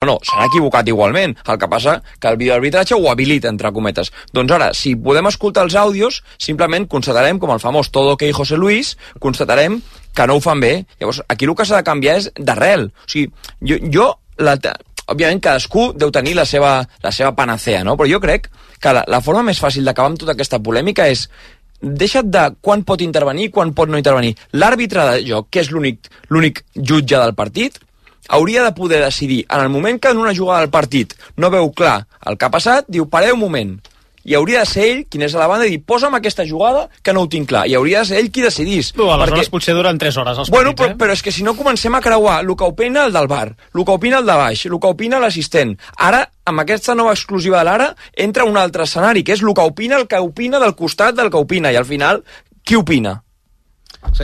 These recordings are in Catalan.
No, s'han equivocat igualment. El que passa que el videoarbitratge ho habilita, entre cometes. Doncs ara, si podem escoltar els àudios, simplement constatarem, com el famós Todo OK José Luis, constatarem que no ho fan bé. Llavors, aquí el que s'ha de canviar és d'arrel. O sigui, òbviament cadascú deu tenir la seva panacea, no? Però jo crec que la forma més fàcil d'acabar amb tota aquesta polèmica és deixa't de quan pot intervenir i quan pot no intervenir. L'àrbitre de joc, que és l'únic jutge del partit, hauria de poder decidir, en el moment que en una jugada del partit no veu clar el que ha passat, diu, pareu un moment. I hauria de ser ell, qui és a la banda, i dir, posa'm aquesta jugada que no ho tinc clar. I hauria de ser ell qui decidís. Aleshores potser duren 3 hores els partits, però és que si no comencem a creuar el que opina el del bar, el que opina el de baix, el que opina l'assistent. Ara, amb aquesta nova exclusiva de l'Ara, entra un altre escenari, que és el que opina del costat del que opina, i al final, qui opina?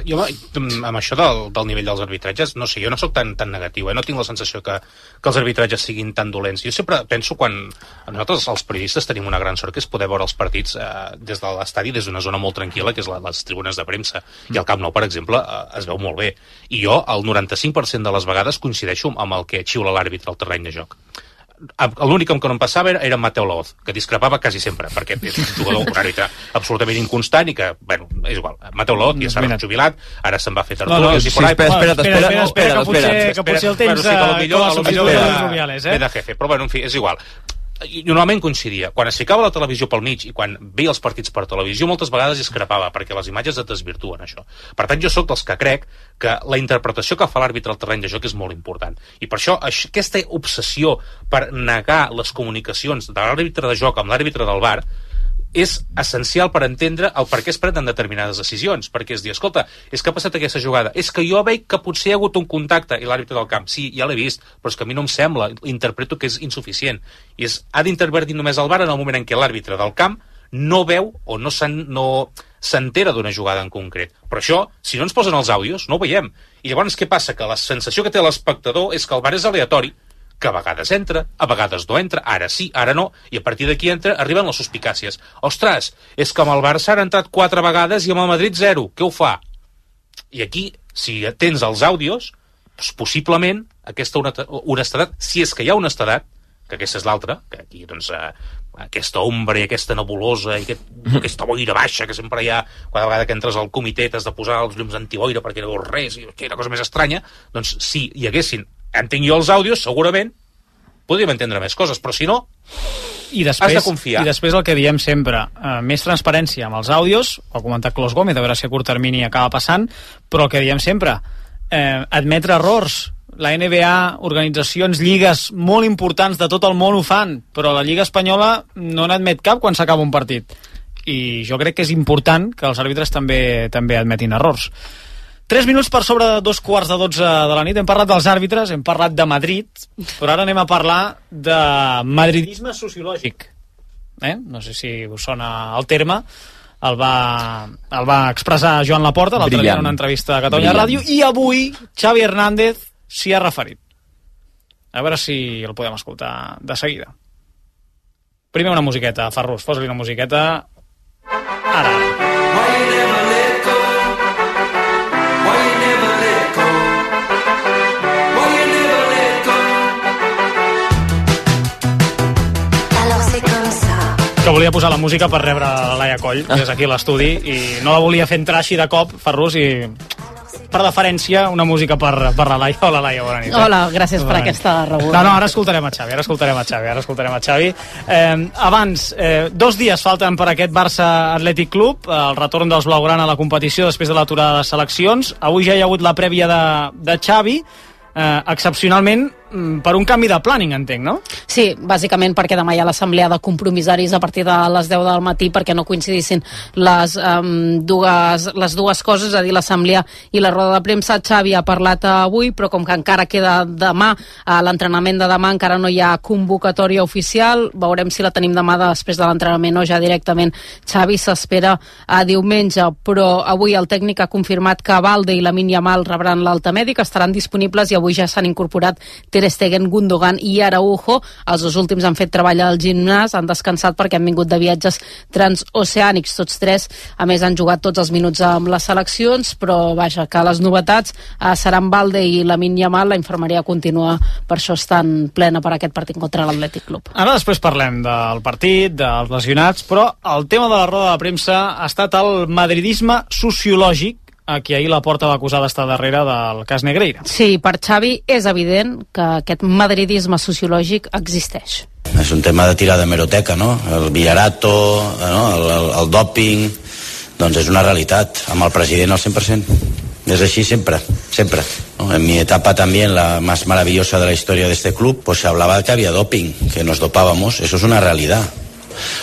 Jo, amb això del nivell dels arbitratges, no sé, jo no sóc tan negatiu, no tinc la sensació que els arbitratges siguin tan dolents. Jo sempre penso quan nosaltres, els periodistes, tenim una gran sort, que és poder veure els partits des de l'estadi, des d'una zona molt tranquil·la, que és les tribunes de premsa. I al Camp Nou, per exemple, es veu molt bé. I jo, el 95% de les vegades, coincideixo amb el que xiula l'àrbitre al terreny de joc. L'únic que no em passava era Mateu Laoz, que discrepava quasi sempre, perquè és un jugador, un àrbitre absolutament inconstant i que, bueno, és igual. Mateu Laoz ja s'ha jubilat, ara se'n va fer tertúlies i por ahí. Espera, que potser el tens com a substitut de Rubiales, de jefe, però bueno, en fi, és igual. Normalment coincidia. Quan es ficava la televisió pel mig i quan veia els partits per televisió, moltes vegades discrepava, perquè les imatges et desvirtuen, això. Per tant, jo sóc dels que crec que la interpretació que fa l'àrbitre al terreny de joc és molt important. I per això, aquesta obsessió per negar les comunicacions de l'àrbitre de joc amb l'àrbitre del VAR és essencial per entendre el per què es prenen determinades decisions, perquè és dir, escolta, és que ha passat aquesta jugada, és que jo veig que potser hi ha hagut un contacte, i l'àrbitre del camp, sí, ja l'he vist, però és que a mi no em sembla, interpreto que és insuficient, i ha d'intervenir només el VAR en el moment en què l'àrbitre del camp no veu o no s'entera d'una jugada en concret. Però això, si no ens posen els àudios, no ho veiem. I llavors què passa? Que la sensació que té l'espectador és que el VAR és aleatori, que a vegades entra, a vegades no entra, ara sí, ara no, i a partir d'aquí arriben les suspicàcies. Ostres, és que amb el Barça han entrat 4 vegades i amb el Madrid 0, què ho fa? I aquí, si tens els àudios, doncs possiblement aquesta honestedat, si és que hi ha honestedat, que aquesta és l'altra, que aquí, doncs, aquesta ombra i aquesta nebulosa i aquesta boira baixa que sempre hi ha, cada vegada que entres al comitè t'has de posar els llums antiboira perquè no veus res, i que era cosa més estranya, doncs si hi haguessin, entenc jo els àudios, segurament podríem entendre més coses, però si no, has de confiar. I després el que diem sempre, més transparència amb els àudios, ho ha comentat Clos Gómez, a veure si a curt termini acaba passant, però el que diem sempre, admetre errors. La NBA, organitzacions, lligues molt importants de tot el món ho fan, però la Lliga Espanyola no n'admet cap quan s'acaba un partit. I jo crec que és important que els àrbitres també admetin errors. 3 minuts per sobre de 2:15 de la nit. Hem parlat dels àrbitres, hem parlat de Madrid, però ara anem a parlar de madridisme sociològic. No sé si us sona el terme. El va expressar Joan Laporta l'altre dia en una entrevista a Catalunya Ràdio, i avui Xavi Hernández s'hi ha referit. A veure si el podem escoltar de seguida. Primer una musiqueta, Ferrus, posa-li una musiqueta. Ara. Que volia posar la música per rebre la Laia Coll, que és aquí a l'estudi, i no la volia fer entrar així de cop, Ferrus, i per deferència una música per la Laia. Hola, Laia, bona nit. Hola, gràcies per aquesta rebuda. No, ara escoltarem a Xavi, Abans, 2 dies falten per aquest Barça Atlètic Club, el retorn dels blaugrana a la competició després de l'aturada de seleccions. Avui ja hi ha hagut la prèvia de Xavi, excepcionalment per un canvi de planning, entenc, no? Sí, bàsicament perquè demà hi ha l'assemblea de compromissaris a partir de les 10 del matí perquè no coincidissin les dues coses, és a dir, l'assemblea i la roda de premsa. Xavi ha parlat avui, però com que encara queda demà, l'entrenament de demà encara no hi ha convocatòria oficial, veurem si la tenim demà després de l'entrenament o ja directament. Xavi s'espera a diumenge, però avui el tècnic ha confirmat que Balde i Lamine Yamal rebran l'alta mèdica, estaran disponibles i avui ja s'han incorporat Ter Stegen, Gundogan i Araujo. Els dos últims han fet treball al gimnàs, han descansat perquè han vingut de viatges transoceànics, tots tres. A més, han jugat tots els minuts amb les seleccions, però vaja, que les novetats seran Balde i Lamine Yamal. La infermeria continua, per això estan plena per aquest partit contra l'Atlètic Club. Ara després parlem del partit, dels lesionats, però el tema de la roda de premsa ha estat el madridisme sociològic, a qui ahir Laporta va acusar d'estar darrere del cas Negreira. Sí, per Xavi és evident que aquest madridisme sociològic existeix. És un tema de tirar de hemeroteca, no? El Villarato, no? El dòping, doncs és una realitat. Amb el president al 100%. Es así siempre, siempre, ¿no? En mi etapa también, la más maravillosa de la historia de este club, pues se hablaba de que había doping, que nos dopábamos. Eso es una realidad.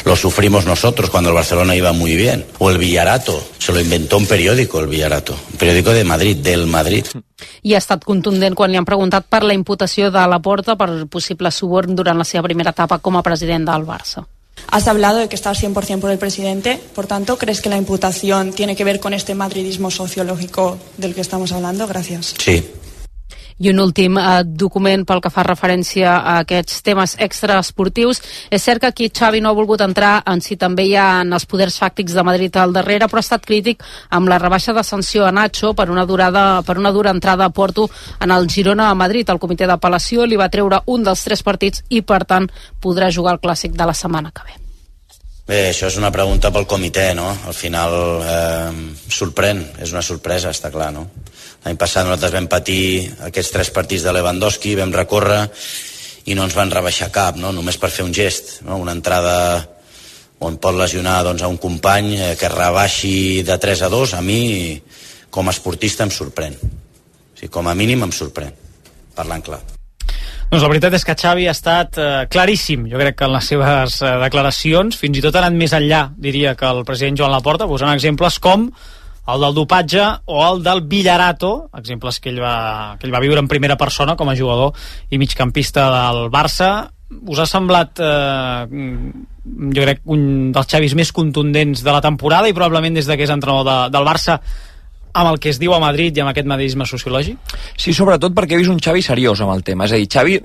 Lo sufrimos nosotros cuando el Barcelona iba muy bien. O el Villarato, se lo inventó un periódico, el Villarato, un periódico de Madrid, del Madrid. I ha estat contundent quan li han preguntat per la imputació de Laporta per possible suborn durant la seva primera etapa com a president del Barça. Has hablado de que estás 100% por el presidente, por tanto, ¿crees que la imputación tiene que ver con este madridismo sociológico del que estamos hablando? Gracias. Sí. I un últim document pel que fa referència a aquests temes extraesportius. És cert que aquí Xavi no ha volgut entrar en si també hi ha els poders fàctics de Madrid al darrere, però ha estat crític amb la rebaixa de sanció a Nacho per una dura entrada a Porto en el Girona a Madrid. El comitè d'apel·lació li va treure un dels 3 partits i, per tant, podrà jugar el clàssic de la setmana que ve. Bé, això és una pregunta pel comitè, no? Al final sorprèn, és una sorpresa, està clar, no? L'any passat nosaltres vam patir aquests 3 partits de Lewandowski, vam recórrer i no ens van rebaixar cap, no? Només per fer un gest, no? Una entrada on pot lesionar doncs, a un company que rebaixi de 3-2, a mi com a esportista em sorprèn. O sigui, com a mínim em sorprèn, parlant clar. Doncs la veritat és que Xavi ha estat claríssim, jo crec que en les seves declaracions, fins i tot ha anat més enllà, diria, que el president Joan Laporta, posant exemples com el del dopatge o el del Villarato, exemples que ell va viure en primera persona com a jugador i migcampista del Barça. Us ha semblat, jo crec, un dels Xavis més contundents de la temporada i probablement des que és entrenador del Barça amb el que es diu a Madrid i amb aquest madridisme sociològic? Sí, sobretot perquè he vist un Xavi seriós amb el tema. És a dir, Xavi...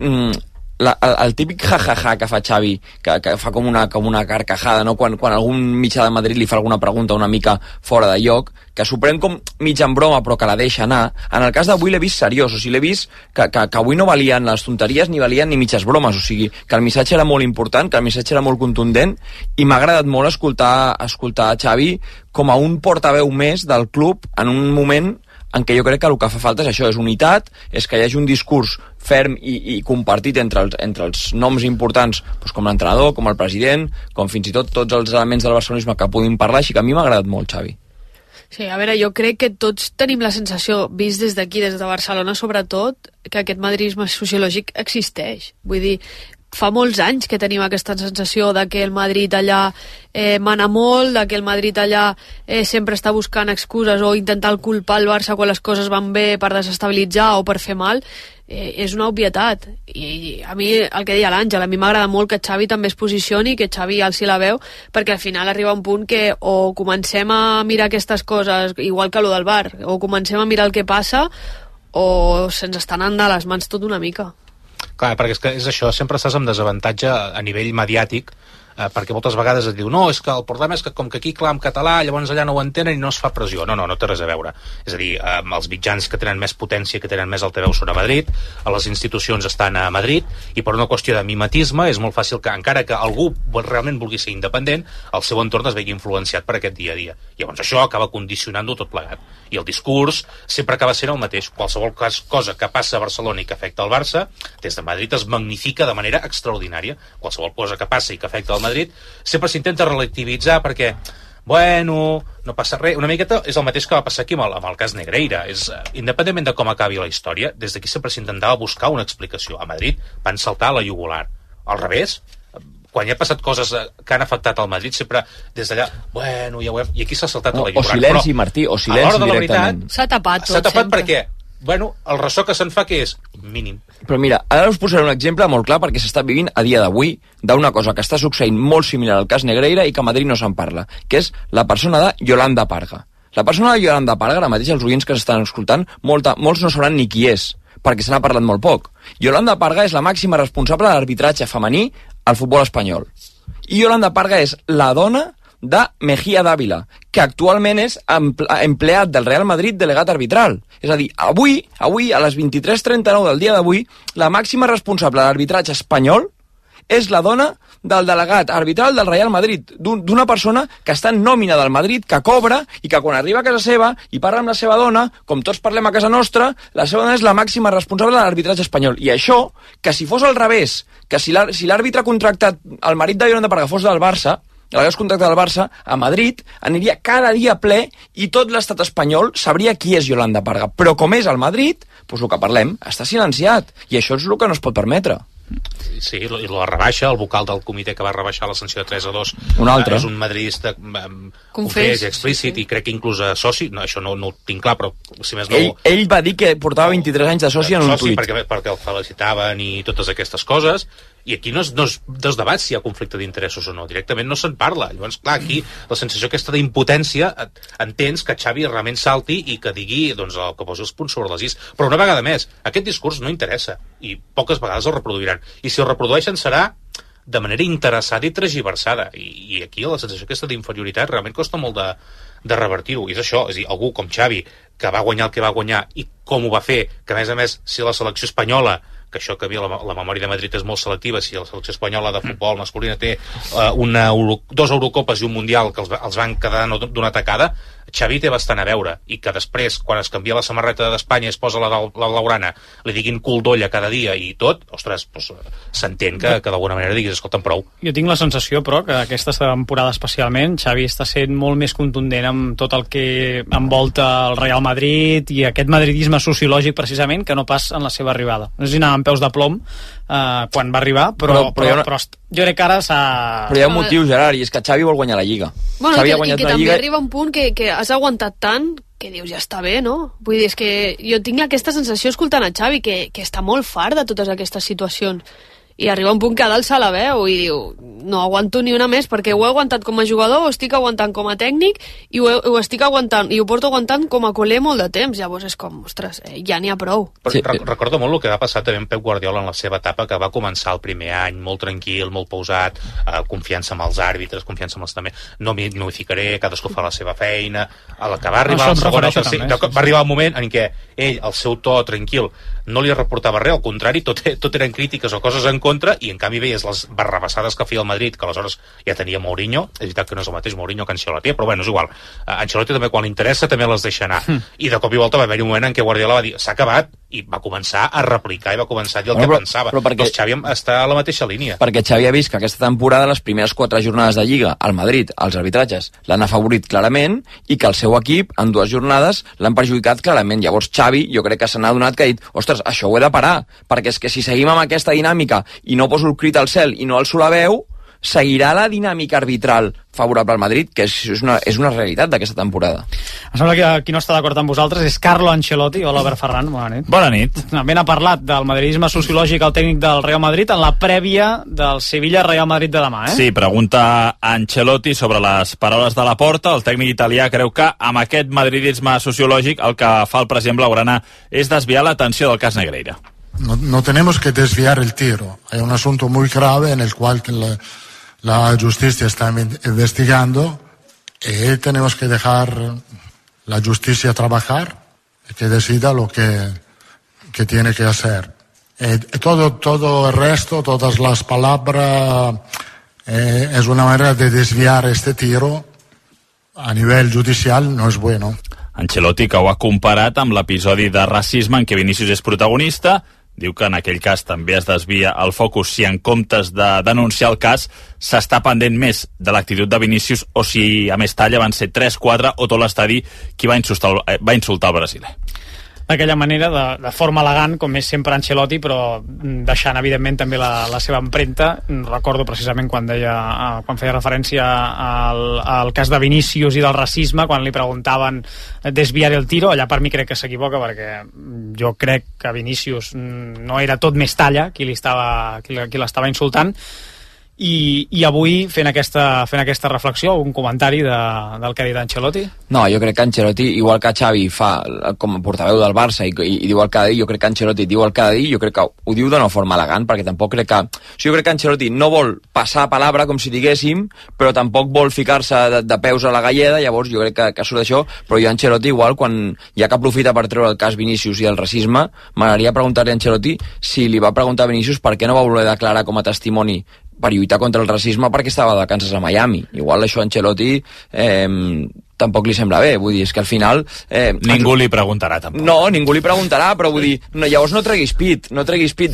el típic jajaja que fa Xavi, que fa com una carcajada, no? Quan algun mitjà de Madrid li fa alguna pregunta una mica fora de lloc, que s'ho pren com mig en broma però que la deixa anar. En el cas d'avui l'he vist seriós, o sigui, l'he vist que avui no valien les tonteries ni valien ni mitges bromes, o sigui, que el missatge era molt important, que el missatge era molt contundent, i m'ha agradat molt escoltar Xavi com a un portaveu més del club en un moment en què jo crec que el que fa falta és això, és unitat, és que hi hagi un discurs ferm i compartit entre els noms importants, doncs com l'entrenador, com el president, com fins i tot tots els elements del barcelonisme que puguin parlar, així que a mi m'ha agradat molt, Xavi. Sí, a veure, jo crec que tots tenim la sensació, vist des d'aquí, des de Barcelona sobretot, que aquest madridisme sociològic existeix. Vull dir, fa molts anys que tenim aquesta sensació de que el Madrid allà mana molt, de que el Madrid allà sempre està buscant excuses o intentant culpar el Barça quan les coses van bé per desestabilitzar o per fer mal. És una obvietat, i a mi, el que deia l'Àngel, a mi m'agrada molt que Xavi també es posicioni, que Xavi alci la veu, perquè al final arriba un punt que o comencem a mirar aquestes coses igual que lo del bar, o comencem a mirar el que passa o se'ns estan anant de les mans tot una mica. Clar, perquè és això, sempre estàs amb desavantatge a nivell mediàtic, perquè moltes vegades et diu no, és que el problema és que com que aquí clar en català llavors allà no ho entenen i no es fa pressió. No té res a veure. És a dir, els mitjans que tenen més potència, que tenen més altaveu són a Madrid, les institucions estan a Madrid, i per una qüestió de mimetisme és molt fàcil que, encara que algú realment vulgui ser independent, el seu entorn es vegi influenciat per aquest dia a dia. Llavors això acaba condicionant-ho tot plegat. I el discurs sempre acaba sent el mateix. Qualsevol cosa que passa a Barcelona i que afecta el Barça, des de Madrid es magnifica de manera extraordinària. Qualsevol cosa que passa i que afecta el Madrid sempre s'intenta relativitzar perquè bueno, no passa res. Una miqueta és el mateix que va passar aquí amb el cas Negreira. Independentment de com acabi la història, des d'aquí sempre s'intentava buscar una explicació. A Madrid van saltar a la jugular. Al revés, quan hi ha passat coses que han afectat al Madrid, sempre des d'allà, bueno, ja ho hem... I aquí s'ha saltat a la jugular. O silenci, però, Martí, o silenci directament. S'ha tapat tot. S'ha tapat perquè, bueno, el ressò que se'n fa que és mínim. Però mira, ara us posaré un exemple molt clar perquè s'està vivint a dia d'avui d'una cosa que està succeint molt similar al cas Negreira i que a Madrid no se'n parla, que és la persona de Yolanda Parga. La persona de Yolanda Parga, ara mateix els oients que s'estan escoltant, molts no sabran ni qui és, perquè se n'ha parlat molt poc. Yolanda Parga és la màxima responsable de l'arbitratge femení al futbol espanyol. I Yolanda Parga és la dona de Mejía Dávila, que actualment és empleat del Real Madrid delegat arbitral. És a dir, avui a les 23:39 del dia d'avui, la màxima responsable de l'arbitratge espanyol és la dona del delegat arbitral del Real Madrid, d'una persona que està en nòmina del Madrid, que cobra i que quan arriba a casa seva i parla amb la seva dona, com tots parlem a casa nostra, la seva dona és la màxima responsable de l'arbitratge espanyol. I això, que si fos al revés, que si l'àrbitre contractat, el marit de Yolanda Parga fos del Barça, l'hagués contractat del Barça, a Madrid aniria cada dia ple i tot l'estat espanyol sabria qui és Yolanda Parga. Però com és al Madrid, doncs el que parlem està silenciat. I això és el que no es pot permetre. Sí, i la rebaixa, el vocal del comitè que va rebaixar la sanció de 3-2 un altre. És un madridista confés i explícit, i crec que inclús a soci, no, això no ho tinc clar, però si més no... Ell va dir que portava 23 anys de soci en un tuit. Perquè el felicitaven i totes aquestes coses, i aquí no es debat si hi ha conflicte d'interessos o no, directament no se'n parla. Llavors, clar, aquí la sensació aquesta d'impotència, entens que Xavi realment salti i que digui, doncs, el que posi els punts sobre les is. Però una vegada més, aquest discurs no interessa, i poques vegades el reproduiran. I si el reprodueixen serà de manera interessada i tergiversada. I aquí la sensació aquesta d'inferioritat realment costa molt de revertir-ho. I és això, és a dir, algú com Xavi, que va guanyar el que va guanyar i com ho va fer, que a més, si la selecció espanyola, que això que havia la memòria de Madrid és molt selectiva, si la selecció espanyola de futbol masculina té 2 Eurocopes i un Mundial que els van quedar d'una tacada, Xavi té bastant a veure, i que després, quan es canvia la samarreta d'Espanya i es posa la Laurana, li diguin cul d'olla cada dia i tot, ostres, doncs, s'entén que d'alguna manera diguis, escolta'm, prou. Jo tinc la sensació, però, que aquesta temporada especialment Xavi està sent molt més contundent amb tot el que envolta el Real Madrid i aquest madridisme sociològic, precisament, que no pas en la seva arribada. No sé si anava amb peus de plom quan va arribar, però jo crec que ara s'ha... Però hi ha un motiu, Gerard, i és que Xavi vol guanyar la Lliga. Bueno, i que també arriba un punt que has aguantat tant que dius, ja està bé, no? Vull dir, és que jo tinc aquesta sensació escoltant a Xavi que està molt fart de totes aquestes situacions. I arriba un punt que a dalt se la veu i diu, no aguanto ni una més, perquè ho he aguantat com a jugador, ho estic aguantant com a tècnic i ho estic aguantant, i ho porto aguantant com a culer molt de temps. Llavors és com, ostres, ja n'hi ha prou. Sí. Recordo molt el que va passar també amb Pep Guardiola en la seva etapa, que va començar el primer any molt tranquil, molt pausat, confiança amb els àrbitres, confiança amb els també, no m'hi ficaré, cadascú fa la seva feina. A la que va arribar va arribar un moment en què ell, el seu to tranquil, no li reportava res, al contrari, tot eren crítiques o coses en contra, i en canvi veies les barrabassades que feia el Madrid, que aleshores ja tenia Mourinho. És veritat que no és el mateix Mourinho que Ancelotti, però bueno, és igual. Ancelotti també, quan li interessa, també les deixa anar. I de cop i volta va haver-hi un moment en què Guardiola va dir, s'ha acabat, i va començar a replicar i va començar a dir el que pensava. Però doncs Xavi està a la mateixa línia. Perquè Xavi ha vist que aquesta temporada, les primeres 4 jornades de Lliga, al Madrid, els arbitratges l'han afavorit clarament, i que el seu equip, en 2 jornades, l'han perjudicat clarament. Llavors Xavi, jo crec que se n'ha adonat, que ha dit, ostres, això ho he de parar, perquè és que si seguim amb aquesta dinàmica i no poso el crit al cel i no alço la veu, seguirà la dinàmica arbitral favorable al Madrid, que és una realitat d'aquesta temporada. Em sembla que qui no està d'acord amb vosaltres és Carlo Ancelotti. Hola, Albert Ferran, bona nit. Bona nit. Ben ha parlat del madridisme sociològic al tècnic del Real Madrid en la prèvia del Sevilla-Real Madrid de demà, Sí, pregunta Ancelotti sobre les paraules de Laporta. El tècnic italià creu que amb aquest madridisme sociològic el que fa el president blaugrana és desviar l'atenció del cas Negreira. No tenemos que desviar el tiro. Hay un asunto muy grave en el cual la justicia está investigando y tenemos que dejar la justicia trabajar y que decida lo que tiene que hacer. Todo el resto, todas las palabras, es una manera de desviar este tiro a nivel judicial, no es bueno. Ancelotti, que ho ha comparat amb l'episodi de racisme en què Vinícius és protagonista, diu que en aquell cas també es desvia el focus si en comptes de denunciar el cas s'està pendent més de l'actitud de Vinícius o si a Mestalla van ser 3-4 o tot l'estadi qui va insultar el brasiler. D'aquella manera, de forma elegant, com és sempre Ancelotti, però deixant, evidentment, també la seva empremta. Recordo precisament quan feia referència al cas de Vinícius i del racisme, quan li preguntaven desviar el tiro. Allà per mi crec que s'equivoca, perquè jo crec que Vinícius no era tot Mestalla qui l'estava insultant. i avui fent aquesta reflexió, algun comentari del que ha dit Ancelotti? No, jo crec que Ancelotti, igual que Xavi fa com a portaveu del Barça i diu el que ha de dir, jo crec que Ancelotti diu el que ha de dir, jo crec que ho diu d'una forma elegant, perquè tampoc crec que... Jo crec que Ancelotti no vol passar palabra, com si diguéssim, però tampoc vol ficar-se de peus a la galleda, llavors jo crec que surt d'això, però jo Ancelotti igual, quan ja que aprofita per treure el cas Vinícius i el racisme, m'agradaria preguntar-li a Ancelotti si li va preguntar a Vinícius per què no va voler declarar com a testimoni per lluitar contra el racisme perquè estava de vacances a Miami. Igual això a Ancelotti tampoc li sembla bé, vull dir, és que al final... Ningú li preguntarà, tampoc. No, ningú li preguntarà, però vull dir, llavors no treguis pit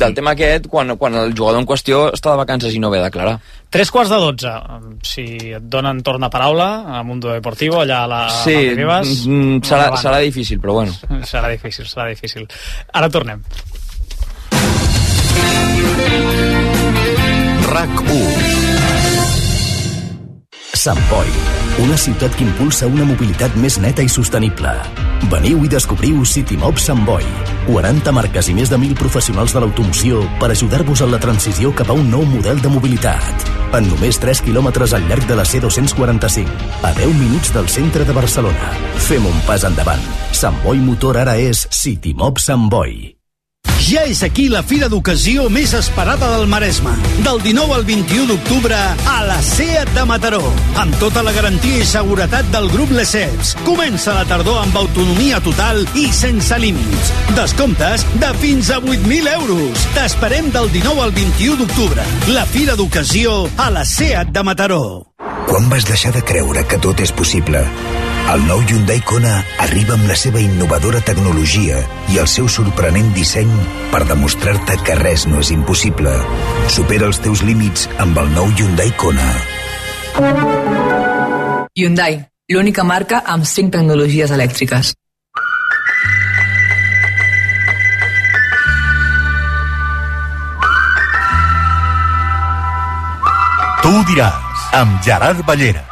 del tema aquest quan el jugador en qüestió està de vacances i no ve a declarar. 3:45. Si et donen torn de paraula a Mundo Deportivo, allà a la Ribas... serà difícil, però bueno. Serà difícil. Ara tornem. RAC1. Sant Boi, una ciutat que impulsa una mobilitat més neta i sostenible. Veniu i descobriu CityMob Sant Boi. 40 marques i més de 1.000 professionals de l'automoció per ajudar-vos en la transició cap a un nou model de mobilitat. En només 3 quilòmetres al llarg de la C245, a 10 minuts del centre de Barcelona. Fem un pas endavant. Sant Boi Motor ara és CityMob Sant Boi. Ja és aquí la fira d'ocasió més esperada del Maresme. Del 19 al 21 d'octubre a la SEAT de Mataró. Amb tota la garantia i seguretat del grup Lesseps. Comença la tardor amb autonomia total i sense límits. Descomptes de fins a 8.000 euros. T'esperem del 19 al 21 d'octubre. La fira d'ocasió a la SEAT de Mataró. Quan vas deixar de creure que tot és possible? El nou Hyundai Kona arriba amb la seva innovadora tecnologia i el seu sorprenent disseny per demostrar-te que res no és impossible. Supera els teus límits amb el nou Hyundai Kona. Hyundai, l'única marca amb 5 tecnologies elèctriques. Tu ho diràs, amb Gerard Ballera.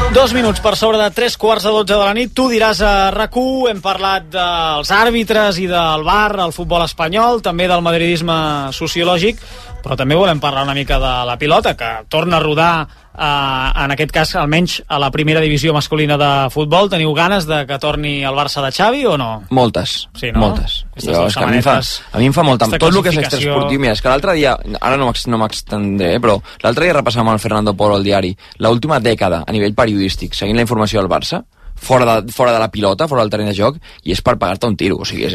Dos minuts per sobre de 3:15 de la nit. Tu diràs a RAC1, hem parlat dels àrbitres i del VAR al futbol espanyol, també del madridisme sociològic, però també volem parlar una mica de la pilota, que torna a rodar, en aquest cas almenys a la primera divisió masculina de futbol. Teniu ganes de que torni el Barça de Xavi o no? Moltes, sí, no? Moltes. Jo, és que a mi em fa molt, amb tot el que és extraesportiu. Mira, és que l'altre dia, ara no m'extendré, però l'altre dia repassàvem el Fernando Polo al diari, l'última dècada a nivell periodístic, seguint la informació del Barça, fora de la pilota, fora del terreny de joc, i és per pagar-te un tiro. O sigui,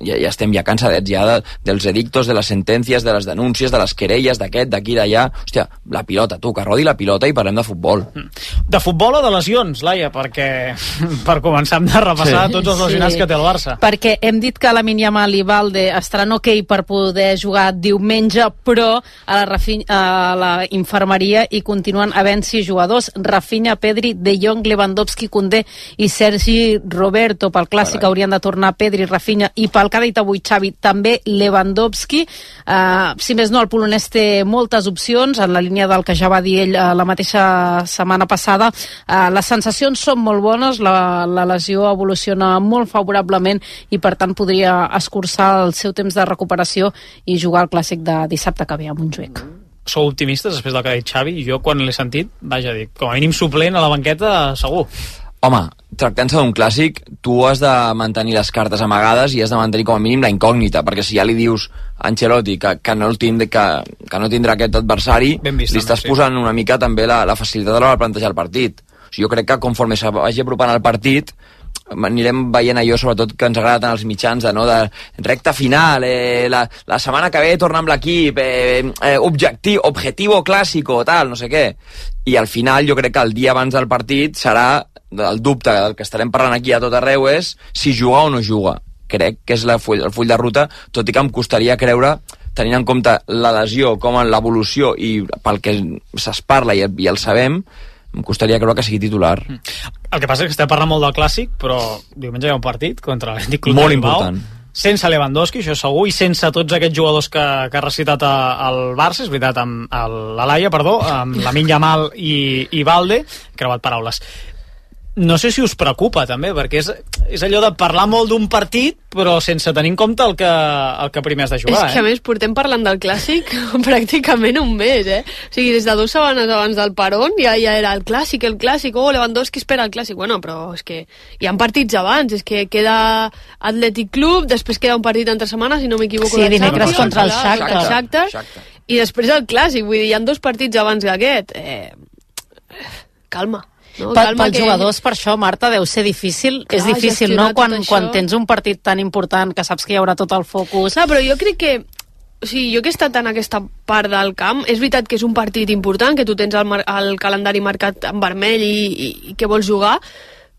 ja estem cansadets dels edictos, de les sentències, de les denúncies, de les querelles, d'aquest, d'aquí, d'allà. Hòstia, la pilota, tu, que rodi la pilota i parlem de futbol. De futbol o de lesions, Laia? Perquè per començar hem de repassar tots els lesionats que té el Barça. Perquè hem dit que Lamine Yamal i Balde estaran ok per poder jugar diumenge, però a la infermeria hi continuen havent 6 jugadors: Rafinha, Pedri, De Jong, Lewandowski, Koundé i Sergi Roberto. Pel clàssic haurien de tornar Pedri, Rafinha, i pel que ha dit avui Xavi també Lewandowski. Si més no, el polonès té moltes opcions en la línia del que ja va dir ell la mateixa setmana passada. Les sensacions són molt bones, la lesió evoluciona molt favorablement i per tant podria escurçar el seu temps de recuperació i jugar al clàssic de dissabte que ve a Montjuïc. Sou optimistes després del que ha dit Xavi? Jo quan l'he sentit, vaja, dic, com a mínim suplent a la banqueta segur. Home, tractant-se d'un clàssic, tu has de mantenir les cartes amagades i has de mantenir com a mínim la incògnita, perquè si ja li dius a Ancelotti que no tindrà aquest adversari, li estàs posant una mica també la facilitat a l'hora de plantejar el partit. O sigui, jo crec que conforme se vagi apropant el partit anirem veient allò, sobretot, que ens agrada tant als mitjans, de recta final, la setmana que ve torna amb l'equip, objetivo clásico, tal, no sé què. I al final jo crec que el dia abans del partit serà el dubte del que estarem parlant aquí a tot arreu és si juga o no juga. Crec que és el full de ruta, tot i que em costaria creure, tenint en compte la lesió, com en l'evolució i pel que se's parla i el sabem, em costaria creure que sigui titular. El que passa és que estem parlant molt del clàssic, però diumenge hi ha un partit contra l'Atlètic Club molt de Bilbao. Important. sense Lewandowski, això segur, i sense tots aquests jugadors que ha recitat el Barça, és veritat, amb l'Alaia, amb Lamine Yamal i Balde, creuat paraules. No sé si us preocupa també, perquè és allò de parlar molt d'un partit però sense tenir en compte el que primer has de jugar. És que a més portem parlant del Clàssic pràcticament un mes, o sigui, des de 2 setmanes abans del Parón ja era el Clàssic, Lewandowski espera el Clàssic, bueno, però és que hi ha partits abans, és que queda Athletic Club, després queda un partit entre setmanes, si no m'equivoco, sí, dimecres contra el Shakhtar, i després el Clàssic, vull dir, hi ha 2 partits abans d'aquest. Calma. No, pels jugadors, per això, Marta, deu ser difícil. És difícil, no?, quan tens un partit tan important que saps que hi haurà tot el focus. Però jo crec que, o sigui, jo que he estat en aquesta part del camp, és veritat que és un partit important, que tu tens el calendari marcat en vermell i que vols jugar,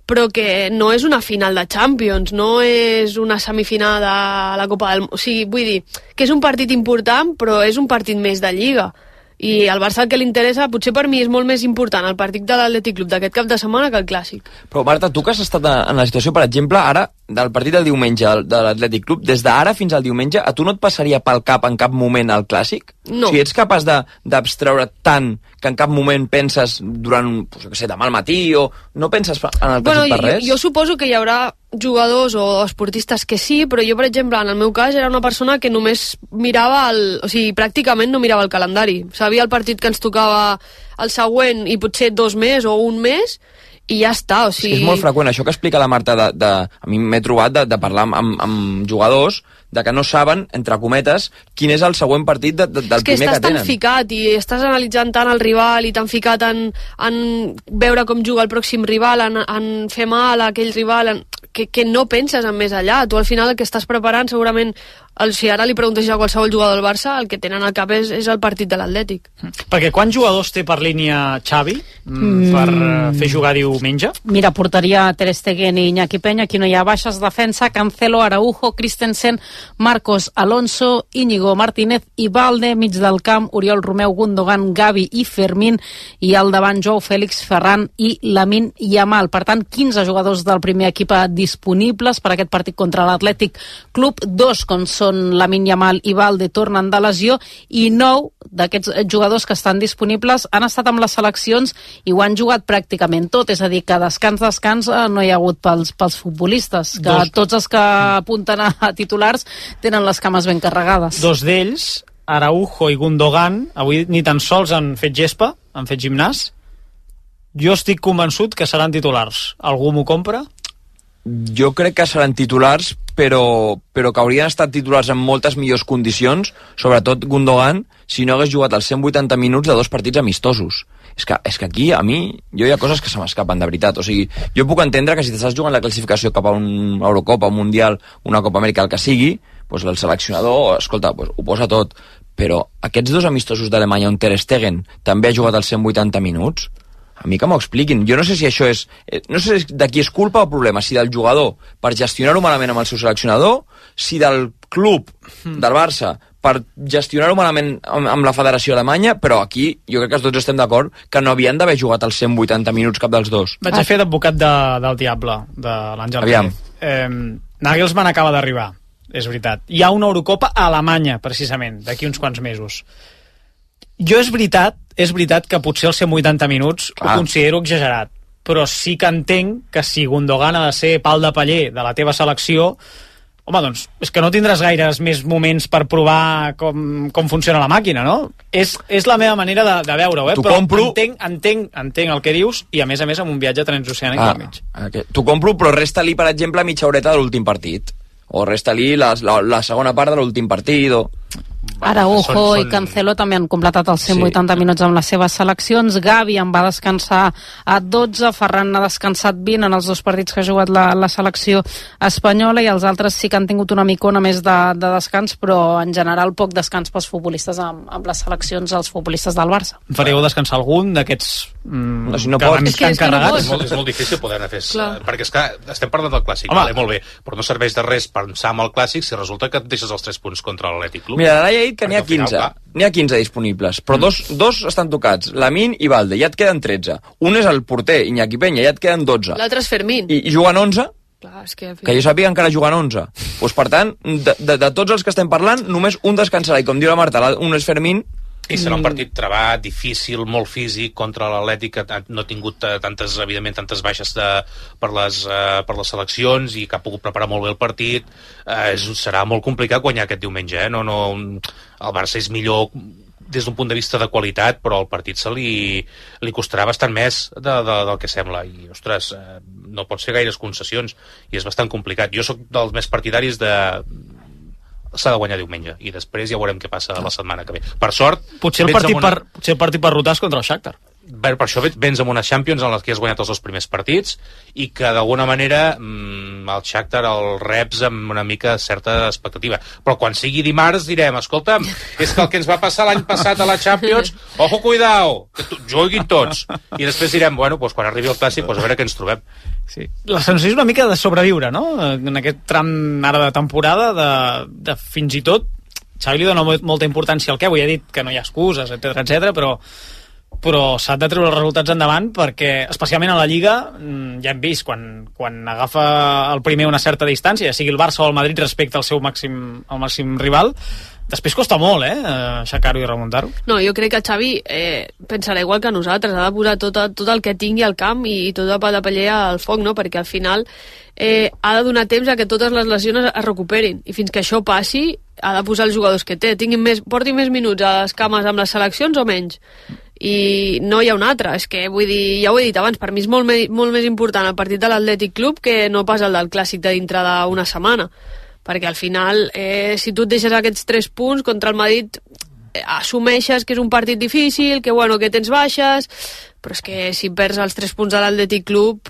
però que no és una final de Champions, no és una semifinal de la Copa del... O sigui, vull dir que és un partit important, però és un partit més de Lliga. I al Barça el que li interessa, potser per mi és molt més important el partit de l'Atlètic Club d'aquest cap de setmana que el Clàssic. Però Marta, tu que has estat en la situació, per exemple, ara, del partit del diumenge de l'Atlètic Club, des d'ara fins al diumenge, a tu no et passaria pel cap en cap moment el Clàssic? No. O sigui, ets capaç d'abstreure tant que en cap moment penses durant, demà al matí, o no penses en el Clàssic per res? Jo suposo que hi haurà jugadors o esportistes que sí, però jo, per exemple, en el meu cas era una persona que només mirava o sigui, pràcticament no mirava el calendari. Sabia el partit que ens tocava el següent i potser 2 més o 1 mes i ja està, o sigui... És molt freqüent, això que explica la Marta, a mi m'he trobat de parlar amb jugadors de que no saben, entre cometes, quin és el següent partit del primer que tenen. És que estàs tan ficat i estàs analitzant tant el rival i tan ficat en veure com juga el pròxim rival, en fer mal a aquell rival, que no penses en més allà. Tu al final el que estàs preparant segurament, si ara li preguntes a qualsevol jugador del Barça, el que tenen al cap és el partit de l'Atlètic. Perquè quants jugadors té per línia Xavi per fer jugar diumenge? Mira, portaria Ter Stegen i Iñaki Peña, aquí no hi ha baixes, defensa, Cancelo, Araujo, Christensen, Marcos Alonso, Íñigo Martínez i Balde, mig del camp, Oriol Romeu, Gundogan, Gavi i Fermín, i al davant Joao Félix, Ferran i Lamine Yamal. Per tant, 15 jugadors del primer equip disponibles per aquest partit contra l'Atlètic Club. 2, com són Lamine Yamal i Balde, tornen de lesió, i 9 d'aquests jugadors que estan disponibles han estat amb les seleccions i ho han jugat pràcticament tot, és a dir, que descans no hi ha hagut pels futbolistes, que tots els que apunten a titulars tenen les cames ben carregades. 2 d'ells, Araujo i Gundogan, avui ni tan sols han fet gespa, han fet gimnàs. Jo estic convençut que seran titulars. Algú m'ho compra? Jo crec que seran titulars, però que haurien estat titulars en moltes millors condicions, sobretot Gundogan, si no hagués jugat els 180 minuts de 2 partits amistosos. És que aquí, a mi, hi ha coses que se m'escapen, de veritat. O sigui, jo puc entendre que si t'estàs jugant la classificació cap a una Eurocopa, un Mundial, una Copa Amèrica, el que sigui, doncs el seleccionador, escolta, doncs ho posa tot. Però aquests 2 amistosos d'Alemanya on Ter Stegen també ha jugat els 180 minuts, a mi que m'ho expliquin. Jo no sé si això és... No sé de qui és culpa o problema, si del jugador per gestionar-ho malament amb el seu seleccionador, si del club, del Barça, per gestionar-ho malament amb la federació alemanya, però aquí jo crec que tots estem d'acord que no havien d'haver jugat els 180 minuts cap dels 2. Vaig a fer d'advocat del diable, de l'Àngel. Aviam. Nagelsmann acaba d'arribar, és veritat. Hi ha una Eurocopa a Alemanya, precisament, d'aquí uns quants mesos. Jo és veritat que potser els 180 minuts ho considero exagerat, però sí que entenc que si Gundogan ha de ser pal de paller de la teva selecció, home, doncs, és que no tindràs gaires més moments per provar com funciona la màquina, no? És la meva manera de veure-ho, però compro... entenc el que dius, i a més amb un viatge transoceànic al mig. T'ho compro, però resta-li, per exemple, mitja horeta de l'últim partit. O resta-li la segona part de l'últim partit, o... Araujo i Cancelo també han completat els 180 minuts amb les seves seleccions. Gavi en va descansar a 12, Ferran ha descansat 20 en els 2 partits que ha jugat la selecció espanyola, i els altres sí que han tingut una micona més de descans, però en general poc descans pels futbolistes amb les seleccions, els futbolistes del Barça. Fareu descansar algun d'aquests si no pots, és que encarregats? És molt difícil poder-ne fer, perquè és que estem parlant del Clàssic, molt bé, però no serveix de res pensar en el Clàssic si resulta que et deixes els 3 punts contra l'Atlètic Club. Mira, l'Alaia ha dit que n'hi ha 15. N'hi ha 15 disponibles, però dos estan tocats, Lamine i Balde, ja et queden 13. Un és el porter, Iñaki Peña, ja et queden 12. L'altre és Fermín. I juguen 11, Clar, és que jo sàpiga encara juguen 11. Doncs, per tant, de tots els que estem parlant, només un descansarà, i com diu la Marta, un és Fermín. I serà un partit trebat, difícil, molt físic, contra l'Atlètic, que no ha tingut tantes baixes per les seleccions i que ha pogut preparar molt bé el partit. Serà molt complicat guanyar aquest diumenge. El Barça és millor des d'un punt de vista de qualitat, però el partit li costarà bastant més del que sembla. I, ostres, no pots fer gaires concessions i és bastant complicat. Jo sóc dels més partidaris s'ha de guanyar diumenge i després ja veurem què passa la setmana que ve. Per sort... Potser el partit per rotar és contra el Shakhtar. Per això vens amb una Champions en les que has guanyat els 2 primers partits i que d'alguna manera el Shakhtar el reps amb una mica certa expectativa. Però quan sigui dimarts direm, escolta'm, és que el que ens va passar l'any passat a la Champions, ojo, cuidao, que juguin tots. I després direm, bueno, doncs quan arribi el Clàssic, a veure què ens trobem. Sí. La sensació és una mica de sobreviure, no? En aquest tram ara de temporada, de fins i tot, Xavi li dona molta importància al què, avui ha dit que no hi ha excuses, etc, però s'ha de treure els resultats endavant perquè, especialment a la Lliga, ja hem vist quan agafa el primer una certa distància, ja sigui el Barça o el Madrid respecte al seu màxim rival, després costa molt, aixecar-ho i remuntar-ho. No, jo crec que el Xavi pensarà igual que nosaltres, ha de posar tot el que tingui al camp i tot de paller al foc, no? Perquè al final ha de donar temps a que totes les lesions es recuperin i fins que això passi ha de posar els jugadors que té, porti més minuts a les cames amb les seleccions o menys, i no hi ha un altre. És que, vull dir, ja ho he dit abans, per mi és molt més important el partit de l'Atlètic Club que no pas el del Clàssic de dintre d'una setmana, perquè al final si tu et deixes aquests 3 punts contra el Madrid, assumeixes que és un partit difícil, que tens baixes, però és que si perds els 3 punts de l'Atlètic Club